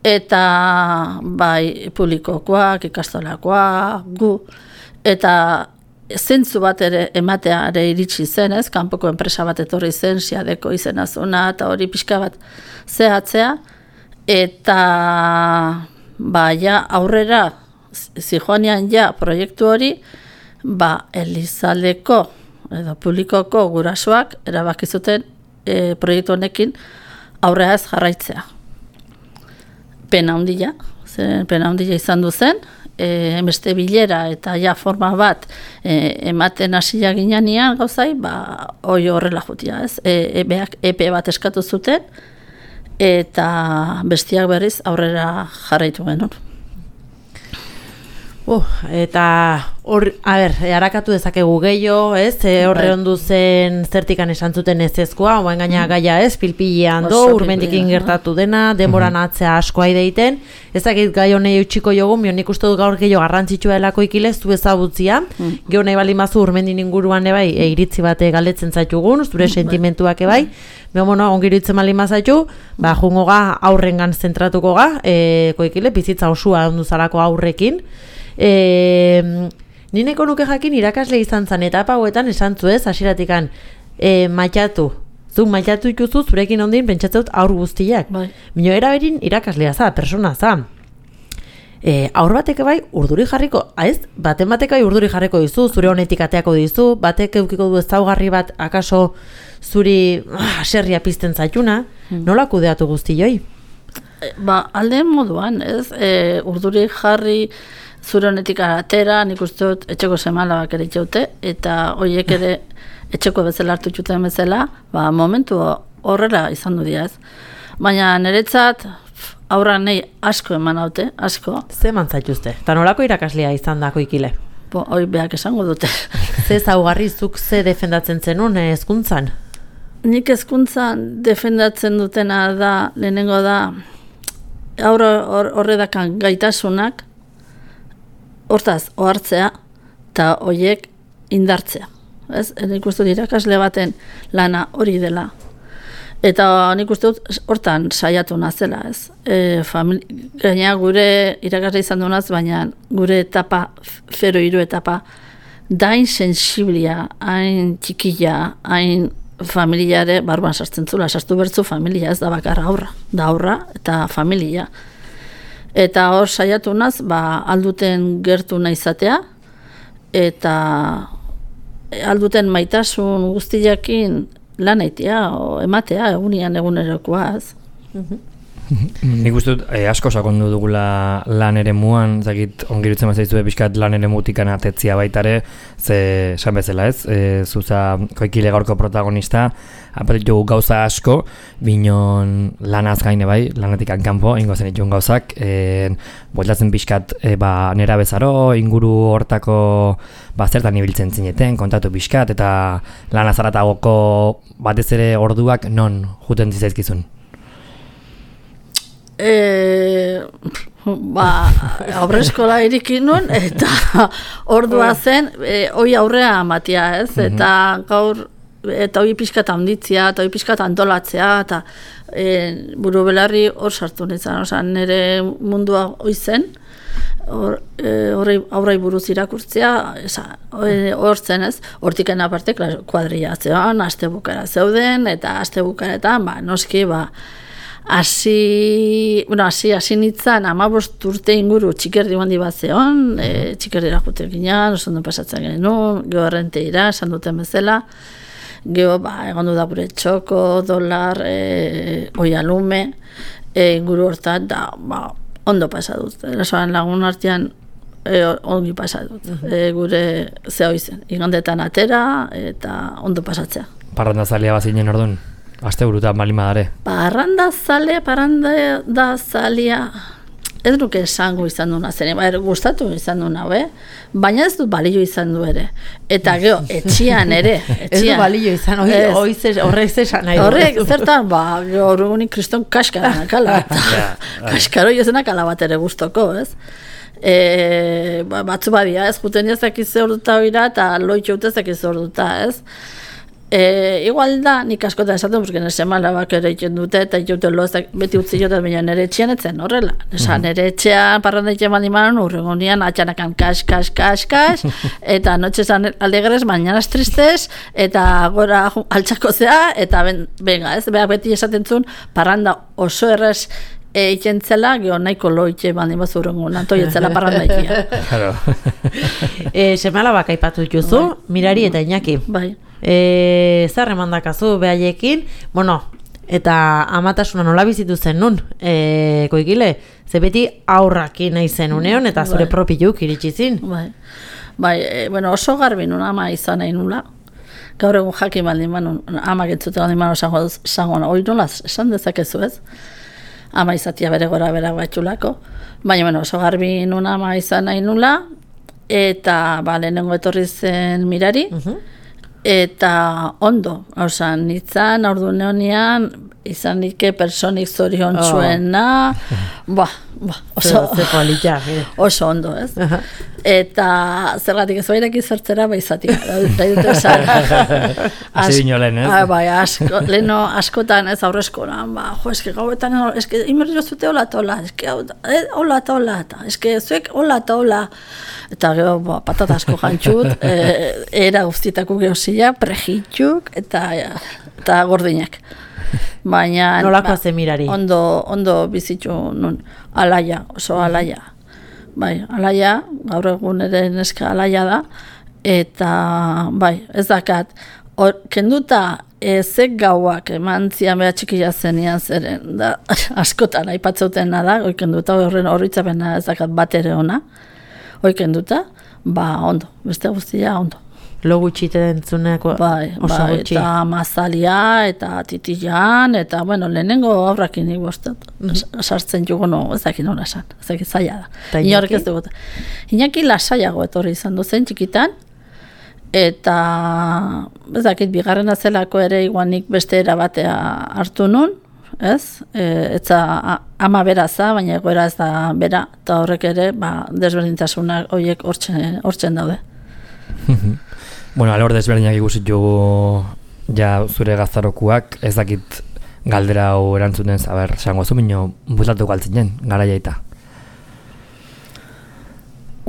eta bai publikokoak, ikastolakoak, gu, eta zentzu bat ere ematea ere iritsi zen, kanpoko enpresa bat etorri zen, Siadeko izena zuna, eta hori pixka bat zehatzea, eta aurrera zijoanean proiektu hori, Elizaldeko edo publikoko gurasoak erabaki zuten proiektu honekin aurrea ez jarraitzea. Pena handia izan du zen, beste bilera eta forma bat ematen hasia ginean gauzai, hoi horrela jutia, epe bat eskatu zuten, eta bestiak berriz aurrera jarraitu genuen. Eta harakatu dezakegu gehiago, horre ondu zen zertikan esan zuten ezezkoa, oain gaina gaia pilpilean urmendikin gertatu dena, denboran atzea askoa ideiten, ezakit gai honei utxiko jogu, nik uste dut gaur gehiago garrantzitsua delako ikilez, zu ezagutzia, geho nahi bali mazu urmendin inguruan ebai, iritzi bate galdetzen zaitugun, zure sentimentuak ebai, ongiru itzen bali mazaitu, jungo ga aurrengan zentratuko ga, koikile, bizitza osua ondu zarako aurrekin, nineko nuke jakin irakasle izan zan etapa hauetan esan zuez, hasieratikan maitatu. Zuk maitatu ikuzu zurekin ondin pentsatzeut aur guztiak. Mino eraberin irakaslea za, persona za. Aur batek bai urduri jarriko, baten batek bai urduri jarriko dizu, zure honetik ateako dizu, batek eukiko du ezaugarri bat akaso zuri serria pizten zaituna, nola kudeatu guztioi? Alde moduan, urduri jarri zure honetik atera, nik uste dut etxeko semalabak ere itxaute, eta horiek ere etxeko bezala hartu txuten bezala, momentu horrela izan du diaz. Baina niretzat aurra nahi asko eman haute, asko. Ze mantzaituzte? Eta nolako irakaslea izan dako ikile? Hoi behak esango dute. Ze zaugarri zuk ze defendatzen zenun hezkuntzan? Nik hezkuntzan defendatzen dutena da, lehenengo da, horredakan gaitasunak, hortaz, ohartzea, eta horiek indartzea. Nik uste dut irakasle baten lana hori dela. Eta nik uste dut hortan saiatu nazela, Gaina gure irakasle izan dunaz, baina gure etapa, 0-3 etapa, dain sensiblia, hain txikila, hain familiare, barban sartzen zula, sartu bertzu familia, ez da bakarra aurra, da aurra eta familia. Eta hor saiatu naz, alduten gertu nahi izatea, eta alduten maitasun guztiakin lan aitea, ematea, egunerokoaz. Nik uste dut asko sakondu dugula lan ere muan, zakit ongirutzen mazaizue pixkat lan ere mutikan atetzia baitare, ze esan bezala zuza koikile gaurko protagonista, apetitu gauza asko, binon lanaz gaine bai, lanatik kanpo, ingo zen itxun gauzak, bueltatzen pixkat nera bezaro, inguru hortako zertan ibiltzen zineten, kontatu pixkat, eta lanaz aratagoko batez ere orduak non juten zizaizkizun? Aurreskola irikin nun, eta ordua zen, hoi aurrea amatia, eta gaur, eta hoi pixkat handitzea, eta hoi pixkat antolatzea, eta buru belarri hor sartu nintzen, nire mundua hoi zen, aurrai buruz irakurtzea, hor zen hortiken aparte kuadrilatzean, aste bukara zeuden, eta aste bukaretan, noski, hasi nintzen 15 urte inguru txikerdi handi bat zeon, txikerdira jute ginean, oso ondo pasatzen genuen, geho errenteira, esan duten bezala, geho egon du da gure txoko, dolar, oialume, inguru hortan, da ondo pasadut. Erasoan lagun artean ongi pasadut, gure zehoi zen, igandetan atera eta ondo pasatzea. parrandazalea bazinen orduan? Aste burutan balima dare. Parrandazalea, ez nuke esango izan duna zen, gustatu izan duna, baina ez dut balio izan du ere. Eta gero, etxian ere. Ez du balio izan, horrek zesan nahi. Horrek, zertan, horregunik kriston kaskara nakala. Kaskaro jozenak ala bat ere gustoko, ez? Batzu badia, ez, juten jazakiz orduta oira, eta loitxo utezakiz orduta, ez? Igual da, nik askotan esaten, porque nese malabak ere iten dute, eta iten lozak beti utzi joten, baina nire etxean etzen horrela. Nire etxean, parranda etxean bandimanon, urregonian, atxanakan kas, eta noche zan alegres, mañanas tristes, eta gora altxako zea, eta venga, ez, behar beti esaten zuen, parranda oso errez ikentzela, geho nahiko loitxe bandimaz urrengo, nantoietzela parranda ikia. Semalabak aipatu juzu, Mirari eta Iñaki. Bai. Zer emandakazu behaiekin, eta amatasuna nola bizitu zen nun, Koikile, ze beti aurrakin nahi zen uneon, eta zure propiluk iritsi zin. Oso garbi nun ama izan nahi nula, gaur egun jakin baldin manun, amak entzute baldin manun zangoan, hori nola esan dezakezu ez, ama izatia bere gora bera batxulako, baina oso garbi nun ama izan nahi nula, eta lehenengo etorri zen Mirari, eta ondo, nitzan, orduan honian, izan nike personik zorion txuena, oso ondo, ez? Eta zergatik ez bairak izertzera baizatik, nahi dute esan. Hasi dino lehen, ez? Leheno askotan ez aurrezkoran, eske gauetan, eske imerrio zute hola eta hola, eske hola eta hola, eske zuek hola eta hola, eta gero patatasko jantxut, era guztietako geozila, prejitxuk, eta gordinak. Baina nolakoa zen Mirari? Ondo bizitzu nun, alaia, oso alaia. Alaia, gaur egun ere neska alaia da, eta ez dakat, kenduta ezek gauak eman zian beha txikia zenian zeren, da, askotan aipatzautena da, kenduta horren horritzapena ez dakat bat ere ona, kenduta, ondo, beste guztia ondo. Lo gutxite dentzuneko oso gutxi. Eta mazalia, eta titilan, eta, lehenengo aurrakin nik bostet. Sartzen jugo ezakin nola esan, ezakin zaila da. Inorek ez dugu. Iñaki lasaiago etorri izan duzen txikitan, eta ezakit bigarrena zelako ere iguanik beste erabatea hartu nun, ez? Etza ama beraza, baina egoera ez da bera, eta horrek ere, desberdintasunak horiek hortzen daude. Alor desberdinak ikusit jugu zure gaztarokuak, ez dakit galdera hau erantzuten zaber, zango zu minio bultatuko altzinen, garaia eta.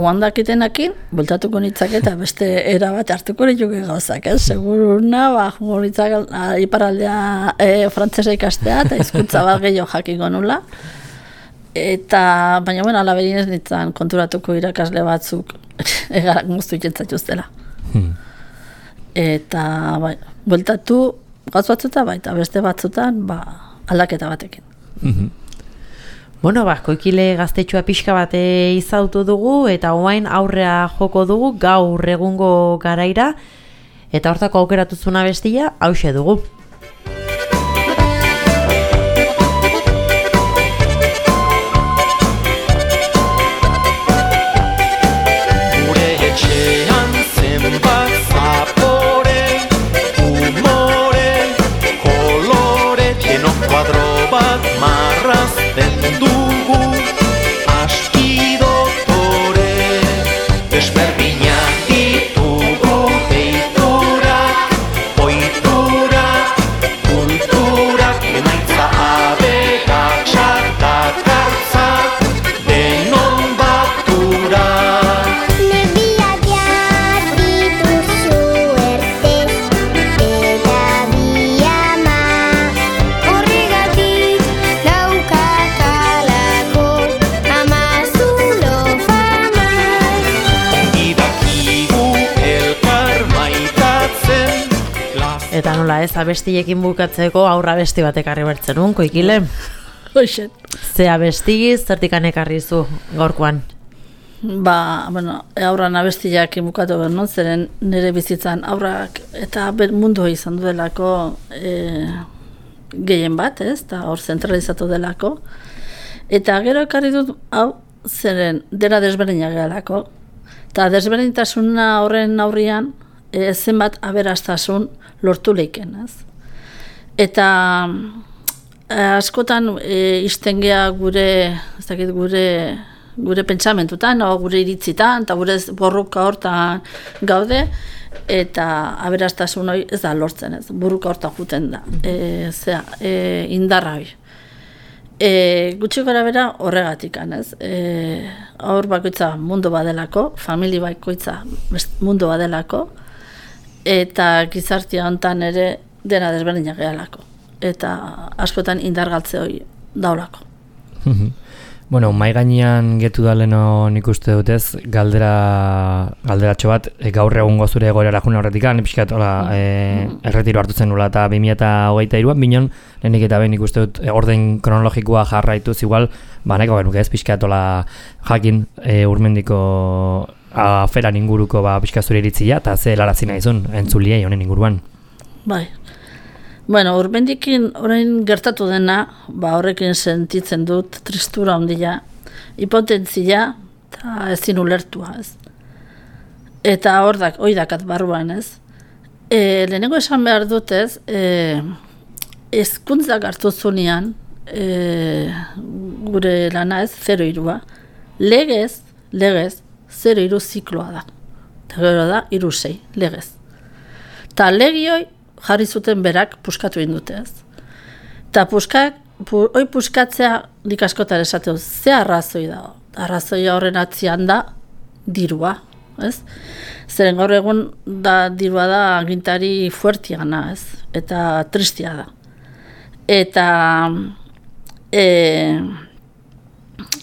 Oandakitenakin, bultatuko nitzak eta beste erabat hartuko nituke gauzak, seguruna, nitzak iparaldea frantzesa ikastea, eta hizkuntza bat gehiago jakiko nula. Eta, baina alaberin ez nintzen konturatuko irakasle batzuk egarak guztu ikentzatuztela. Eta bueltatu gauz batzuta eta beste batzutan aldaketa batekin. Koikile gaztetxua pixka bat izautu dugu eta oain aurrea joko dugu gaur egungo garaira eta hortako aukeratuzuna bestia hauxe dugu. Eta nola ez, abestiekin bukatzeko aurra abesti batek arri bertzen nun, Koikile? Hoxet. Ze abesti, zertikan ekarri zu gaurkoan? bueno, aurran abestiak imukatu behar non, zeren nire bizitzan aurrak eta mundu izan duelako gehien bat, ez, eta hor zentralizatu delako. Eta gero ekarri dut, hau, zeren dena desberdinak gehalako. Eta desberdintasuna horren aurrian, zenbat aberastasun lortu leiken, ez. Eta askotan izten geha gure pentsamentutan, gure iritzitan, eta gure borruka hortan gaude, eta aberastasun hori ez da lortzen, ez, burruka hortan juten da, indarra hori. Gutxi gara bera horregatik, ez, aur bakoitza mundu badelako, famili bakoitza mundu badelako, eta gizartia hontan ere dena desberdinak gehalako, eta askotan indargaltze hori daulako. Bueno, mai gainean getu da leno nik uste dutez, galderatxo bat, gaur egungo zure egoerara juna horretikan, pixkat, erretiro hartu zen nula eta 2023an, binon, lehenik eta behin ikuste dut orden kronologikoa jarraituz, igual, nahiko genuke ez, pixkat, jakin urmendiko aferan inguruko pixkat zure iritzia, eta ze helarazi nahizun, entzuliei honen inguruan. Bai. Bueno, urbendikin orain gertatu dena, horrekin sentitzen dut tristura ondila, hipotentzia eta ezin ulertua, ez. Eta hori dakat barruan, ez. Lehenengo esan behar dut, ez, hezkuntzak hartu zunean, gure lana ez, 0-3, legez, 0-3 zikloa da. Eta gero da, 3-6, legez. Eta legioi, jarri zuten berak puskatu indute, ez. Eta puskatzea nik askotan esateu, ze arrazoi da? Arrazoia horren atzian da dirua, ez? Zeren gaur egun dirua da agintari fuertiana, ez? Eta tristia da. Eta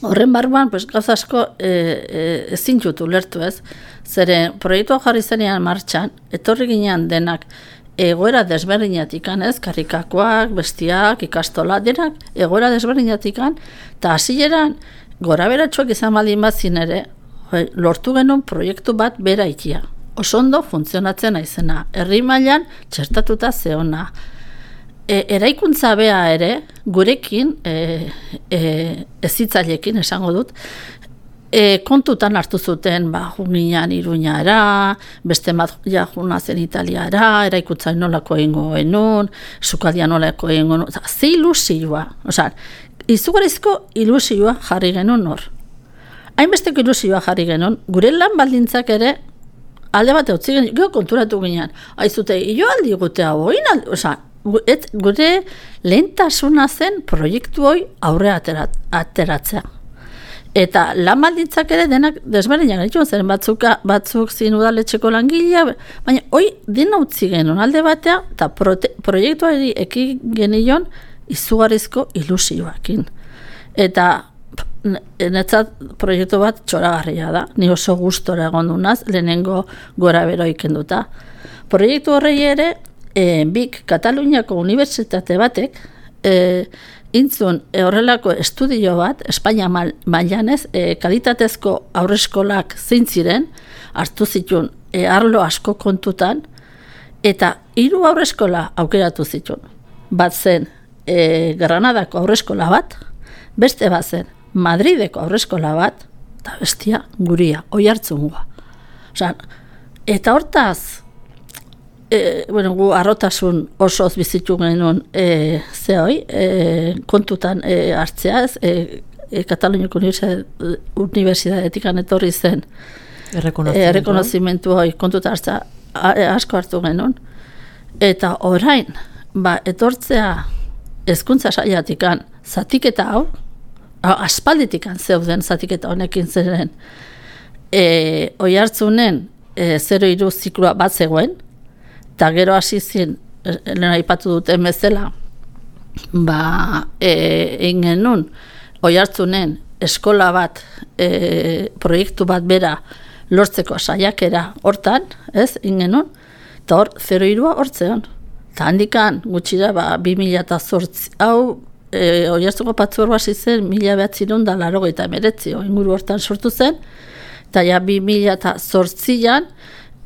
horren barruan, gauza asko ezin jutu lertu, ez? Zeren proiektua jarri zenean martxan, etorri ginean denak, egoera desberdinatikan, ez, karrikakoak, bestiak, ikastola, denak, egoera desberdinatikan, eta hasieran gora beratxoak izan baldin bazin ere, lortu genuen proiektu bat bera ikia. Oso ondo funtzionatzen aizena, herri mailan txertatuta zeona. Eraikuntza bea ere, gurekin, ezitzailekin esango dut, kontutan hartu zuten junginan Iruñara, beste bat juna zen Italiara, eraikuntza nolako egingo genuen, sukaldia nolako egingo genuen, ze ilusioa, izugarrizko ilusioa jarri genuen hor. Hainbesteko ilusioa jarri genuen, gure lan baldintzak ere alde bat eutzi genuen, gero konturatu ginean, aizute, jo aldi gute hau, gure lehentasuna zen proiektu hoi aurre ateratzea. Eta lan baldintzak ere denak desberdinak gaitu, zeren batzuk zin udaletxeko langilea, baina hoi dena utzi genuen alde batea, eta proiektuari eki genion izugarrizko ilusioakin. Eta netzat proiektu bat txoragarria da, ni oso gustora egon dunaz, lehenengo gora bero ikenduta. Proiektu horrei ere, BIC Kataluniako Unibertsitate batek, intzun horrelako estudio bat, Espainia mailan ez, kalitatezko aurreskolak zein ziren, hartu zituen arlo asko kontutan, eta 3 aurreskola aukeratu zituen. Bat zen Granadako aurreskola bat, beste bat zen Madrideko aurreskola bat, eta bestia guria, Oiartzungoa. Eta hortaz, gu arrotasun osoz bizitu genuen kontutan hartzea, Kataluniako Unibertsitatetik etorri zen errekonozimentu hori kontutan hartzea asko hartu genuen. Eta orain, etortzea hezkuntza saiatikan zatiketa hau, aspalditikan zeuden zatiketa honekin zeren, Oiartzunen 0-3 zikloa bat zegoen, eta gero hasi zin, lehen aipatu duten bezala, egin genuen, Oiartzunen eskola bat, proiektu bat bera lortzeko saiakera hortan, ez, egin genuen, eta hor 0-3 hortzean. Eta handikan, gutxira, 2008, hau, Oiartzuko patzuergo hasi zen, 1989, inguru hortan sortu zen, Eta ja 2008an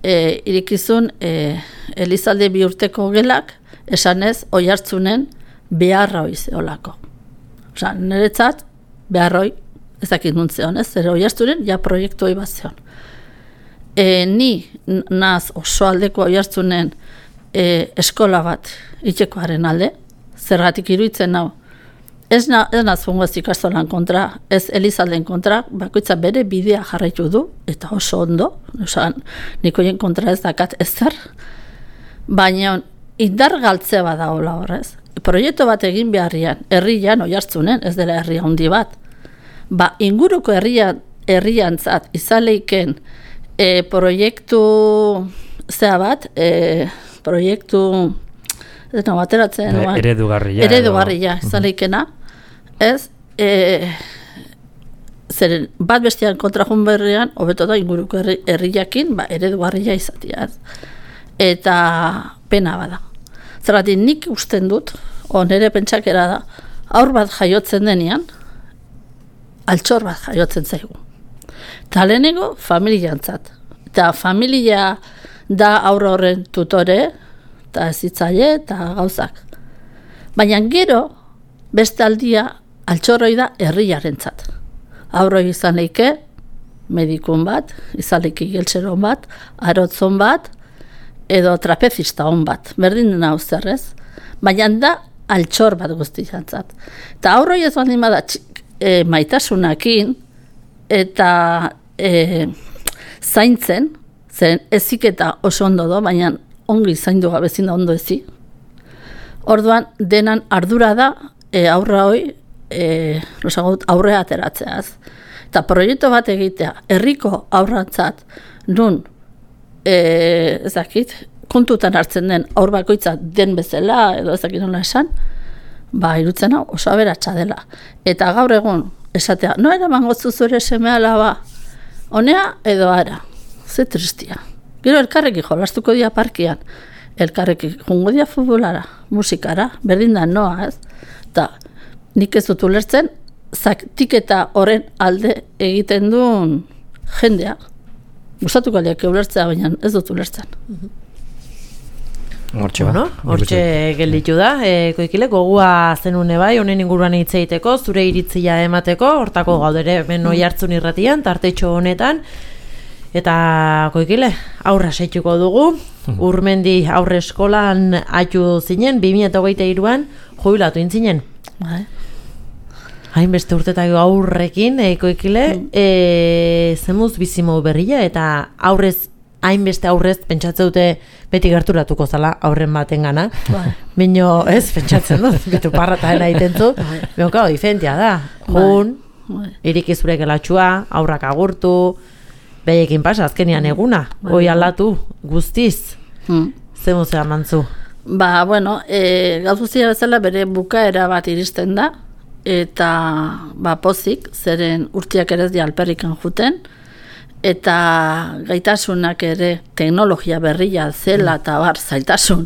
irikizun Elizalde 2 urteko gelak esanez Oiartzunen beharroi zeolako. Osa, niretzat beharroi ezakit nuntzeon, ez? Zer Oiartzunen ja proiektu hori bat zeon. Ni naz oso aldeko Oiartzunen eskola bat itxekoaren alde, zergatik iruditzen nau. Ez naz fungoz ikastolan kontra, ez Elizalden kontra, bakoitza bere bidea jarraitu du, eta oso ondo, osan, nikoien kontra ez dakat ezer, baina indar galtze bada hola horrez. Proiektu bat egin beharrian, herrian Oiartzunen, ez dela herri handi bat, inguruko herriantzat izaleiken proiektu zea bat, proiektu bateratzen eredugarria izaleikena, ez? Zeren bat bestian kontra joan berrian, hobeto da inguruko herriakin, eredugarria izatea. Eta pena bada. Zergatik nik usten dut, nire pentsakera da, aur bat jaiotzen denean, altxor bat jaiotzen zaigu. Eta lehenengo, familiantzat. Eta familia da aurra horren tutore, eta ezitzaile, eta gauzak. Baina gero, beste aldia, altxorroi da herriarentzat. Aurroi izan leike, medikun bat, izan leike geltzeron bat, arotzon bat, edo trapezista hon bat, berdin dena zerrez. Baina da, altxor bat guztiantzat. Eta aurroi ez baldin bada maitasunakin, eta zaintzen, zen eziketa oso ondo do, baina ongi zaindu gabezin da ondo ezi. Orduan, denan ardura da, aurra hoi, aurrea ateratzeaz. Eta proiektu bat egitea, herriko aurrantzat, nun, ezakit, kontutan hartzen den aur bakoitza den bezala, edo ezakit nola esan, irutzen hau oso aberatsa dela. Eta gaur egun, esatea, no eraman gotzu zure seme alaba, honea edo ara, ze tristia. Gero elkarrekin jolastuko dia parkian, elkarrekin jungo dia futbolara, musikara, berdin da noa, ez? Eta nik ez dut ulertzen, zaktiketa horren alde egiten duen jendea. Gustatuko liak ulertzea, baina ez dut ulertzen. Hortxe gelditu da, Koikile, gogua zenune bai, honen inguruan hitz egiteko, zure iritzia emateko, hortako gaudere hemen Oiartzun irratian, tartetxo honetan, eta Koikile, aurra seituko dugu, Urmendi aurre eskolan atu zinen, 2023an jubilatu intzinen. Hainbeste urtetako aurrekin, Koikile, zemuz bizimo berria, eta hainbeste aurrez pentsatzen dute beti gerturatuko zala aurren baten gana. Bino, ez, pentsatzen dut, betu parrataena itentu, bino, diferentia da. Jun, irikizure gelatxua, aurrak agurtu, behekin pasa, azkenian eguna, hoi aldatu, guztiz, zemuzea mantzu. Bueno, gauzuzia bezala bere bukaera bat iristen da, eta pozik, zeren urtiak ere ez di alperrikan juten, eta gaitasunak ere teknologia berria zela eta zailtasun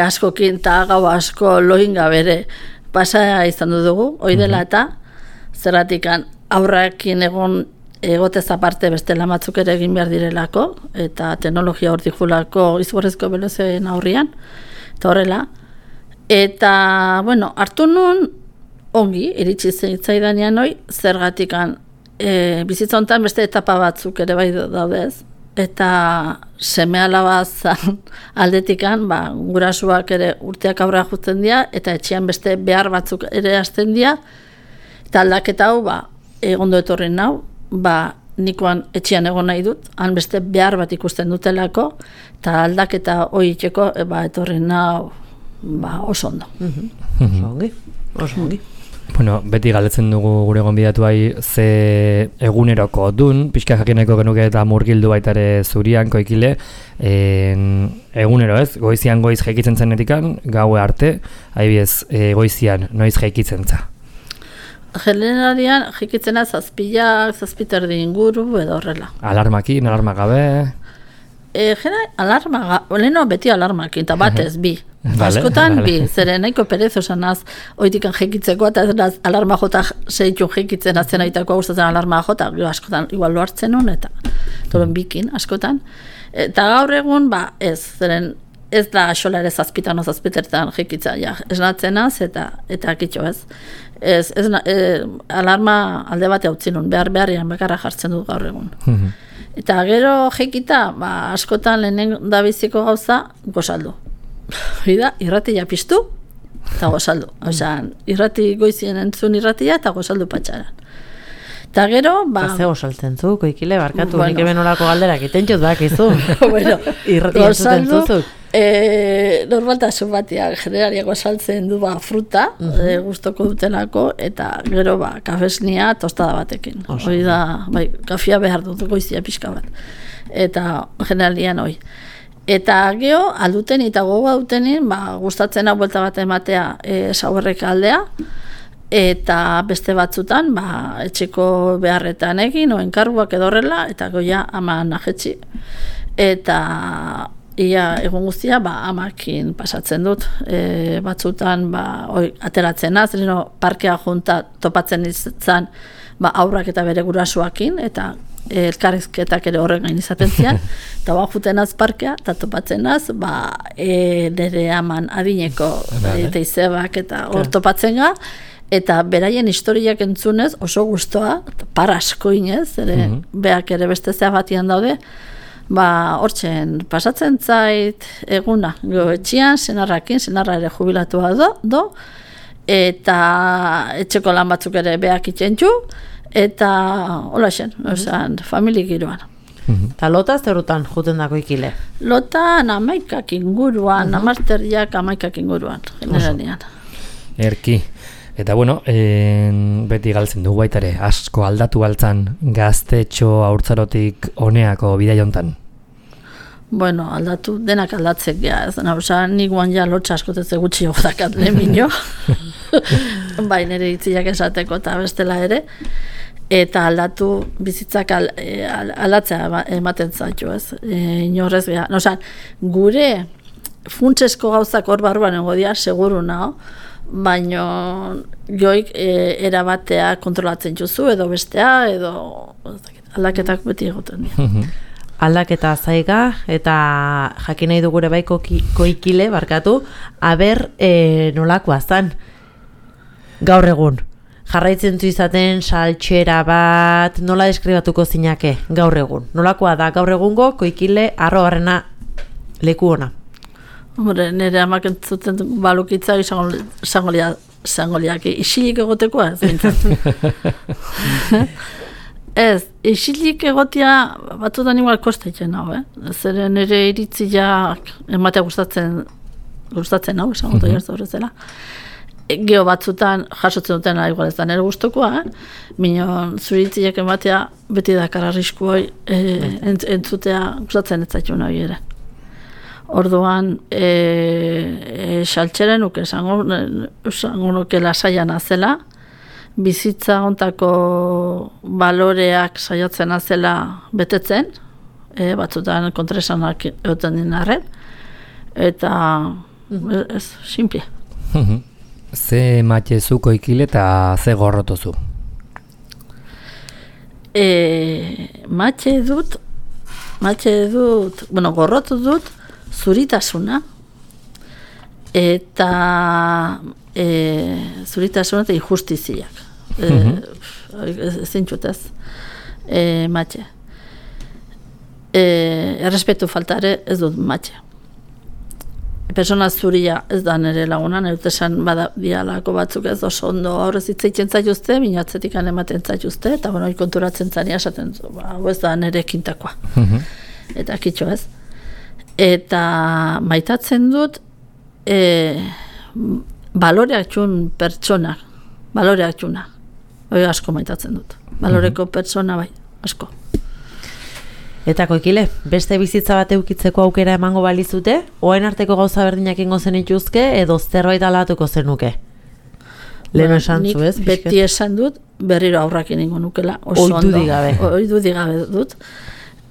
askokin eta gau asko loinga bere pasa izan dugu, hoi dela eta zerratikan aurrakin egotez aparte beste lamatzuk ere egin behar direlako, eta teknologia hortik fulako izborrezko belozen aurrian, eta horrela. Eta, hartu nun ongi, iritsi zitzaidanean hoi, zergatikan bizitza honetan beste etapa batzuk ere bai daudez, eta seme alaba aldetikan, gurasuak ere urteak aurra jutzen dira, eta etxean beste behar batzuk ere hasten dira, eta aldaketa hau, ondo etorri nau, nikoan etxean egon nahi dut, han beste behar bat ikusten dutelako, eta aldaketa hori itxeko, etorri nau, oso ondo. Oso ongi. Beti galdetzen dugu gure gonbidatuai ze eguneroko dun, pixka jakineko genuke eta murgildu baita ere zurian, Koikile, egunero ez, goizian goiz jaikitzen zenetikan, gaue arte, adibidez, goizian noiz jaikitzen za? Generalian jaikitzena zazpiterdi inguru edo horrela. Alarmakin, alarma gabe? alarma, leheno beti alarmakin, eta batez, bi. Vale, Askotan, vale. bi, zeren nahiko perez osan az, oitikan jekitzeko, eta alarma jota zeitu jekitzen azten aitakoa gustatzen alarma jota, askotan, igual lo hartzen hon, eta toren bikin, askotan. Eta gaur egun, ez, zeren ez da xola ere zazpitan o zazpitertan jekitza, ja, esnatzenaz, eta kitxo ez. Alarma alde bate hau zinun, beharrian bakarra jartzen dut gaur egun. Eta gero jekita, askotan lehenen da biziko gauza, gozaldu. Hida, irratia piztu, eta gozaldu. Osean, irrati goizien entzun irratia, eta gozaldu patxaran. Eta gero, Ze gozaltzen zu, Koikile, barkatu, nik hemen olako galderak itentxut bakizu. Bueno, irratia entzuten zuzuk. Normaltasun batia generariako saltzen du fruta, gustoko dutelako, eta gero kafesnia tostada batekin. Hori da, kafia behar dut goizia pixka bat. Eta generalian hoi. Eta geho, alduten eta gogoa dutenin, gustatzen hau buelta bat ematea sauerrek aldea, eta beste batzutan, etxeko beharretan egin, oen karguak edo horrela, eta goia ama najetxi. Eta ia egun guztia, amakin pasatzen dut, batzutan, ateratzen az, parkea junta topatzen izan, aurrak eta bere gurasoakin, eta elkarrizketak ere horren gain izaten zian, eta juten az parkea, eta topatzen az, nire aman adineko teizebak eta hor topatzen ga, eta beraien historiak entzunez oso gustoa, parasko inez, beak ere beste zea batian daude, hortzen pasatzen zait eguna, etxian, senarra ere jubilatua do, eta etxeko lan batzuk ere beak itxentxu, eta hola xen, familik giroan. Eta lota zerutan juten dako Koikile? Lota amaikak inguruan, amarterriak amaikak inguruan, generalian. Erki. Eta bueno, beti galtzen dugu baitare, asko aldatu galtzan gaztetxo haurtzarotik honeako bidai hontan. Bueno, aldatu, denak aldatzek gea, ez da, nik guan ja lotxa askoteze gutxi jodakat leminio, nire itziak esateko eta bestela ere, eta aldatu bizitzak aldatzea ematen zaitu, ez, inorrez gea. Gure funtsesko gauzak hor barruan egodia, seguru naho, baina joik erabatea kontrolatzen juzu, edo bestea, edo aldaketak beti egoten dira. Aldaketa zaiga, eta jakin nahi dugure bai Koikile, barkatu, aber nolakoa zan gaur egun. Jarraitzen zu izaten saltxera bat, nola deskribatuko zinake gaur egun? Nolakoa da gaur egungo Koikile arrobarrena leku ona? Hombre, nire amak entzuten balukitza izango liak isilik egotekoa, zintzen. Ez, isilik egotia batzutan igual kostetzen hau, Zeren nire iritziak ematea gustatzen hau, esango da jartu horrezela. Geo batzutan jasotzen dutena igual ez da nire gustokoa, minon zuritziak ematea beti dakar arrisku hoi entzutea gustatzen ez zaitu nahi ere. Orduan, saltxeren nuke esango nuke lasaian azela, bizitza hontako baloreak saiatzen azela betetzen, batzutan kontraesanak egoten dinarren, eta ez, simple. Ze matxezu Koikile eta ze gorrotozu? Matxe dut, gorrotu dut zuritasuna, eta zuritasuna eta injustiziak. Zintxutez, matxe. Errespetu faltare ez dut matxe. Persona zuria ez da nire lagunan, esan bada dialako batzuk ez oso ondo aurrez itzaitzen zaituzte, minatzetik ematen zaituzte, eta konturatzen zani esaten zu, hau ez da nire kintakoa. Eta kitxo ez. Eta maitatzen dut baloreak txun pertsonak, baloreak txuna. Asko maitatzen dut. Baloreko pertsona bai, asko. Eta Koikile, beste bizitza bat eukitzeko aukera emango balizute, oain arteko gauza berdinak ingo zenituzke, edo zerbait aldatuko zenuke? Lehen esan zu, ez? Beti esan dut, berriro aurrakin ingo nukela. Oidu digabe. Oidu digabe dut.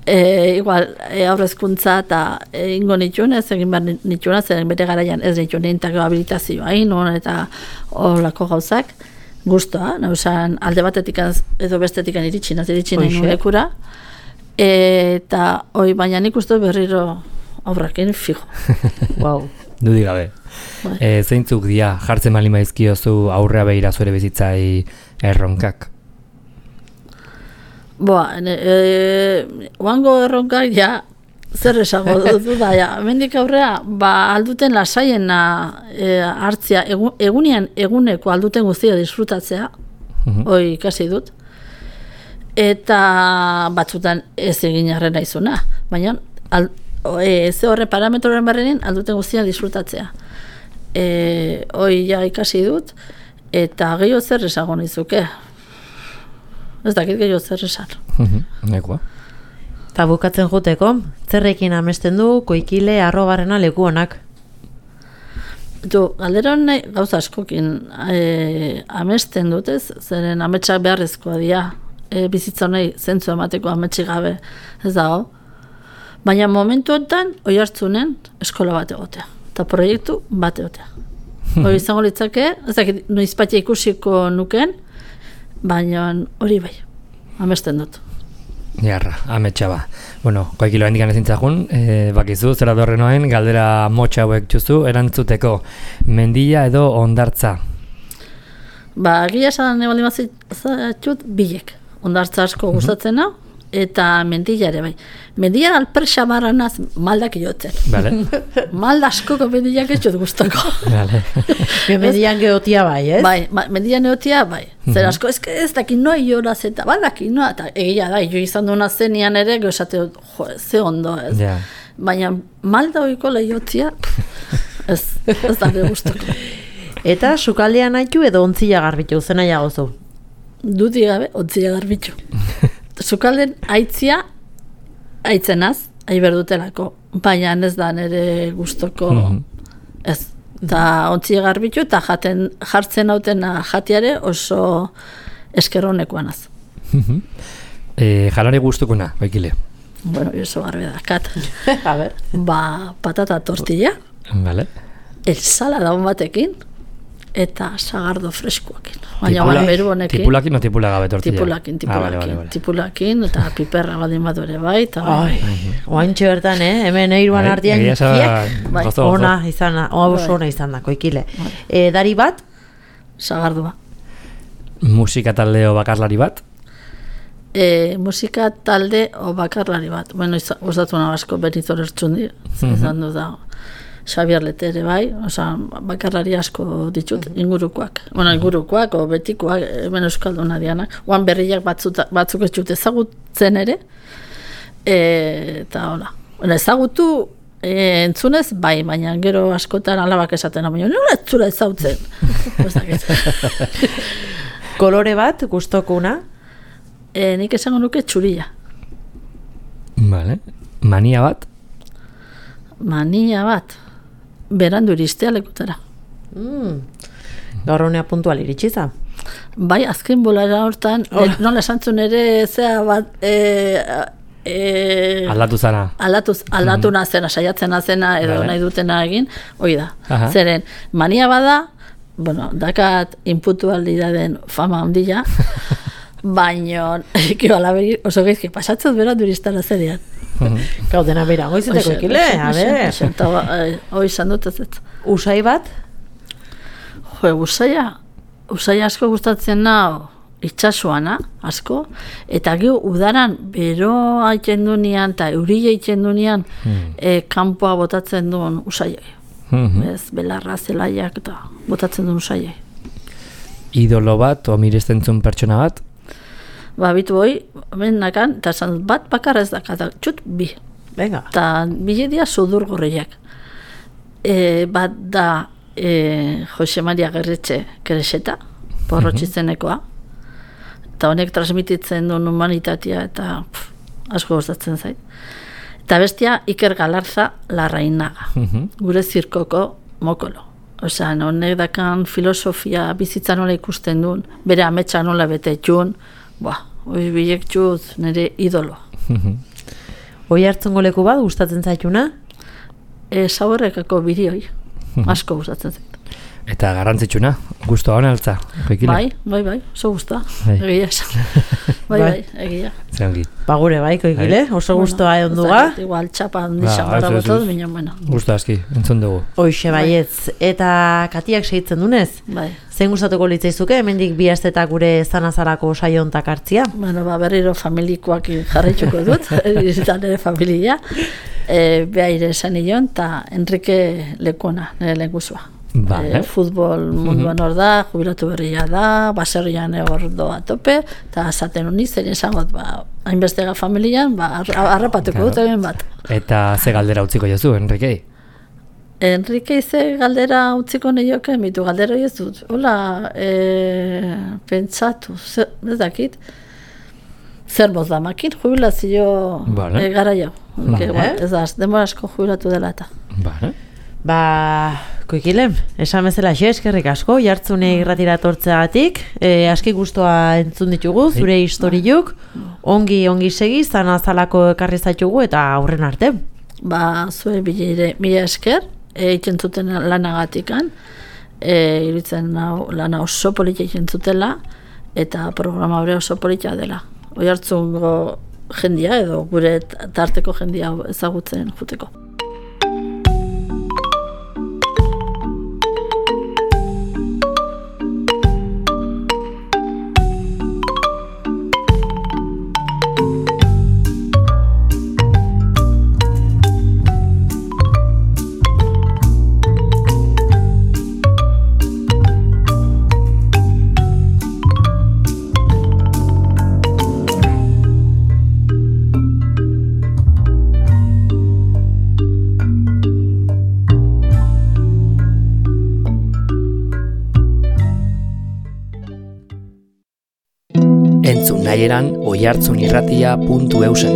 igual, aurrezkuntza eta ingo nituen, ez egin behar nituen, zer bere garaian ez nituen nintako habilitazioa, eta olako gauzak, guztua, nausan alde batetik edo bestetik iritsi nahi lekura, eta baina nik uste berriro aurrakin fijo. Wow. Dudik gabe. Zeintzuk dia jartzen bali maizkiozu aurrea behira zure bizitzai erronkak? Oango erronkak, zer esango dut da, mendik aurrea, alduten lasaiena hartzia, eguneko alduten guztia disfrutatzea, hoi ikasi dut, eta batzutan ez egin arrena izuna, baina ze horre parametroren barrenin alduten guztia disfrutatzea. Hoi ikasi dut, eta gehiago zer esango nizuke. Ez dakit gehiago zer esan. Nekoa. Eta bukatzen juteko, zerrekin amesten du Koikile arrobarrena leku honak? Galdera nahi gauza askokin amesten dut, zeren ametsak beharrezkoa dira, bizitza nahi zentzu emateko ametsi gabe ez dago. Baina momentuetan oi hartzunen eskola bat egotea, eta proiektu bat egotea. Hori izango litzake, ez dakit noizpatia ikusiko nuken, baina hori bai, amesten dut. Jarra, ametsa ba. Bueno, Koikilo hendikan ezintzakun, bakizu, zera dorrenoen, galdera motxa hauek txuzu, erantzuteko mendia edo ondartza? Gila esan ebaldin bazitut bilek. Ondartza asko gustatzena, eta mendia ere bai. Mendia alperxa barranaz maldak iotzen. Vale. Malda askoko mendiak ez jut gustako. Vale. Mendian geotia bai, ez? Bai, mendian geotia bai. Zer asko, ez dakit noa ioraz eta badaki noa, eta egia da, jo izan duena zenian ere, esate ze ondo, ez? Yeah. Baina malda oiko lehiotzia, ez da gustako. Eta sukaldean haitu edo ontzila garbitu, zena jagozu? Dudik gabe, ontzila garbitu. Sukalden aitzia, aitzenaz, aiberdutelako, baina ez da nire gustoko, ez. Eta ontzile garbitu eta jartzen hautena jatiare oso eskerronekoanaz. Jalari gustukuna, Koikile? Bueno, oso garbe dakat. A ber. Patata tortilla, Vale. ensalada on batekin, eta sagardo freskoakin. Baina beru honekin. Tipulakin o tipulagabe tortilla? Tipulakin. Vale. Tipulakin, eta piperra baldin bat ere bai. Oantxe bertan, hemen eiruan artean, ona izan da, Koikile. Dari bat? Sagardua. Musika talde o bakarlari bat? Musika talde o bakarlari bat. Bueno, gustatu asko Benito Lertxundi, izan du da. Xabier Letere bai, bakarlari asko ditut, ingurukoak. Bueno, ingurukoak o betikoak, hemen euskalduna dianak. Oan berriak batzuk ez dut ezagutzen ere, eta hola. Ezagutu entzunez, bai, baina gero askotan alabak esaten, baina nola ez zula ezagutzen. Kolore bat, gustokuna? Nik esango nuke txuria. Vale. Mania bat? Mania bat. Berandu iristea lekutara. Gaur honea puntual iritsiza. Bai, azken bolara hortan, nola esantzun ere zea bat... aldatu zana. Aldatu nazena, saiatzen nazena, edo nahi dutena egin, hoi da. Aha. Zeren, mania bada, bueno, dakat inpuntualidaden fama handia, baino, oso geizki, pasatzez berandu iristara zerian. Gaudena bera, goizeteko Koikile, a ber. Hoi izan dut ez. Usai bat? Usai asko gustatzen nao itxasuana, asko, eta gero udaran bero haiten dunean, eta eurile haiten dunean, kanpoa botatzen duen usaiai. Ez, belarra, zelaiak, eta botatzen duen usaiai. Idolo bat, o mirestentzun pertsona bat? Bitu hoi, nakan, eta esan dut, bat bakarra ez dakata, txut bi. Venga. Eta bile dia sudur gorriak. Bat da Jose Maria Gerretxe Kereseta, porrotxizenekoa. Eta honek transmititzen duen humanitatea eta asko gustatzen zait. Eta bestia Iker Galarza Larrainaga, gure zirkoko mokolo. Osea, honek dakan filosofia bizitza nola ikusten duen, bere ametsa nola bete txun, hori bilek txuz nire idolo. Oiartzungo leku bat gustatzen zaituna? Zaborrekako bideoi, asko gustatzen zait. Eta garrantzitsuna, gustoa hona altza, Koikile? Bai, oso gustoa, Bai. egia esan. Bai, egia. Zeongi. Ba gure bai, Koikile, oso gustoa onduga. Igual txapa handixan gara botot, minon, bueno. Gusto aski, entzun dugu. Hoixe baietz, eta Katiak segitzen dunez? Bai. Zein gustatuko litzaizuke, hemendik bi astetak gure zanazarako saio hontak hartzia? Bueno, berriro familikoak jarraituko dut, izan ere familia. Behaire esan nion, eta Enrique Lekona, nire lehengusua. Futbol munduan hor da, jubilatu berria da, baserrian hor doa tope, eta zaten honi zer esangot, hainbestega familian, harrapatuko dut egin bat. Eta ze galdera utziko jozu, Enriquei? Enrique ze galdera utziko nioke, mitu galdera ez dut. Hola, pentsatu, ez dakit, zer moz damakin, jubilazio gara jau. Ez da, demora asko jubilatu dela eta. Koikile, esan bezala eskerrik asko, jartzune irratira tortzeagatik, aski gustoa entzun ditugu, zure historiuk, ongi segi, zanazalako ekarri zaitugu eta aurren arte. Zue mila esker, egiten zuten lanagatikan, iruditzen lana oso politia egiten zutela, eta programa hori oso politia dela. Oiartzungo jendia edo gure tarteko jendia ezagutzen juteko. Entzun nahieran oiartzunirratia.eusen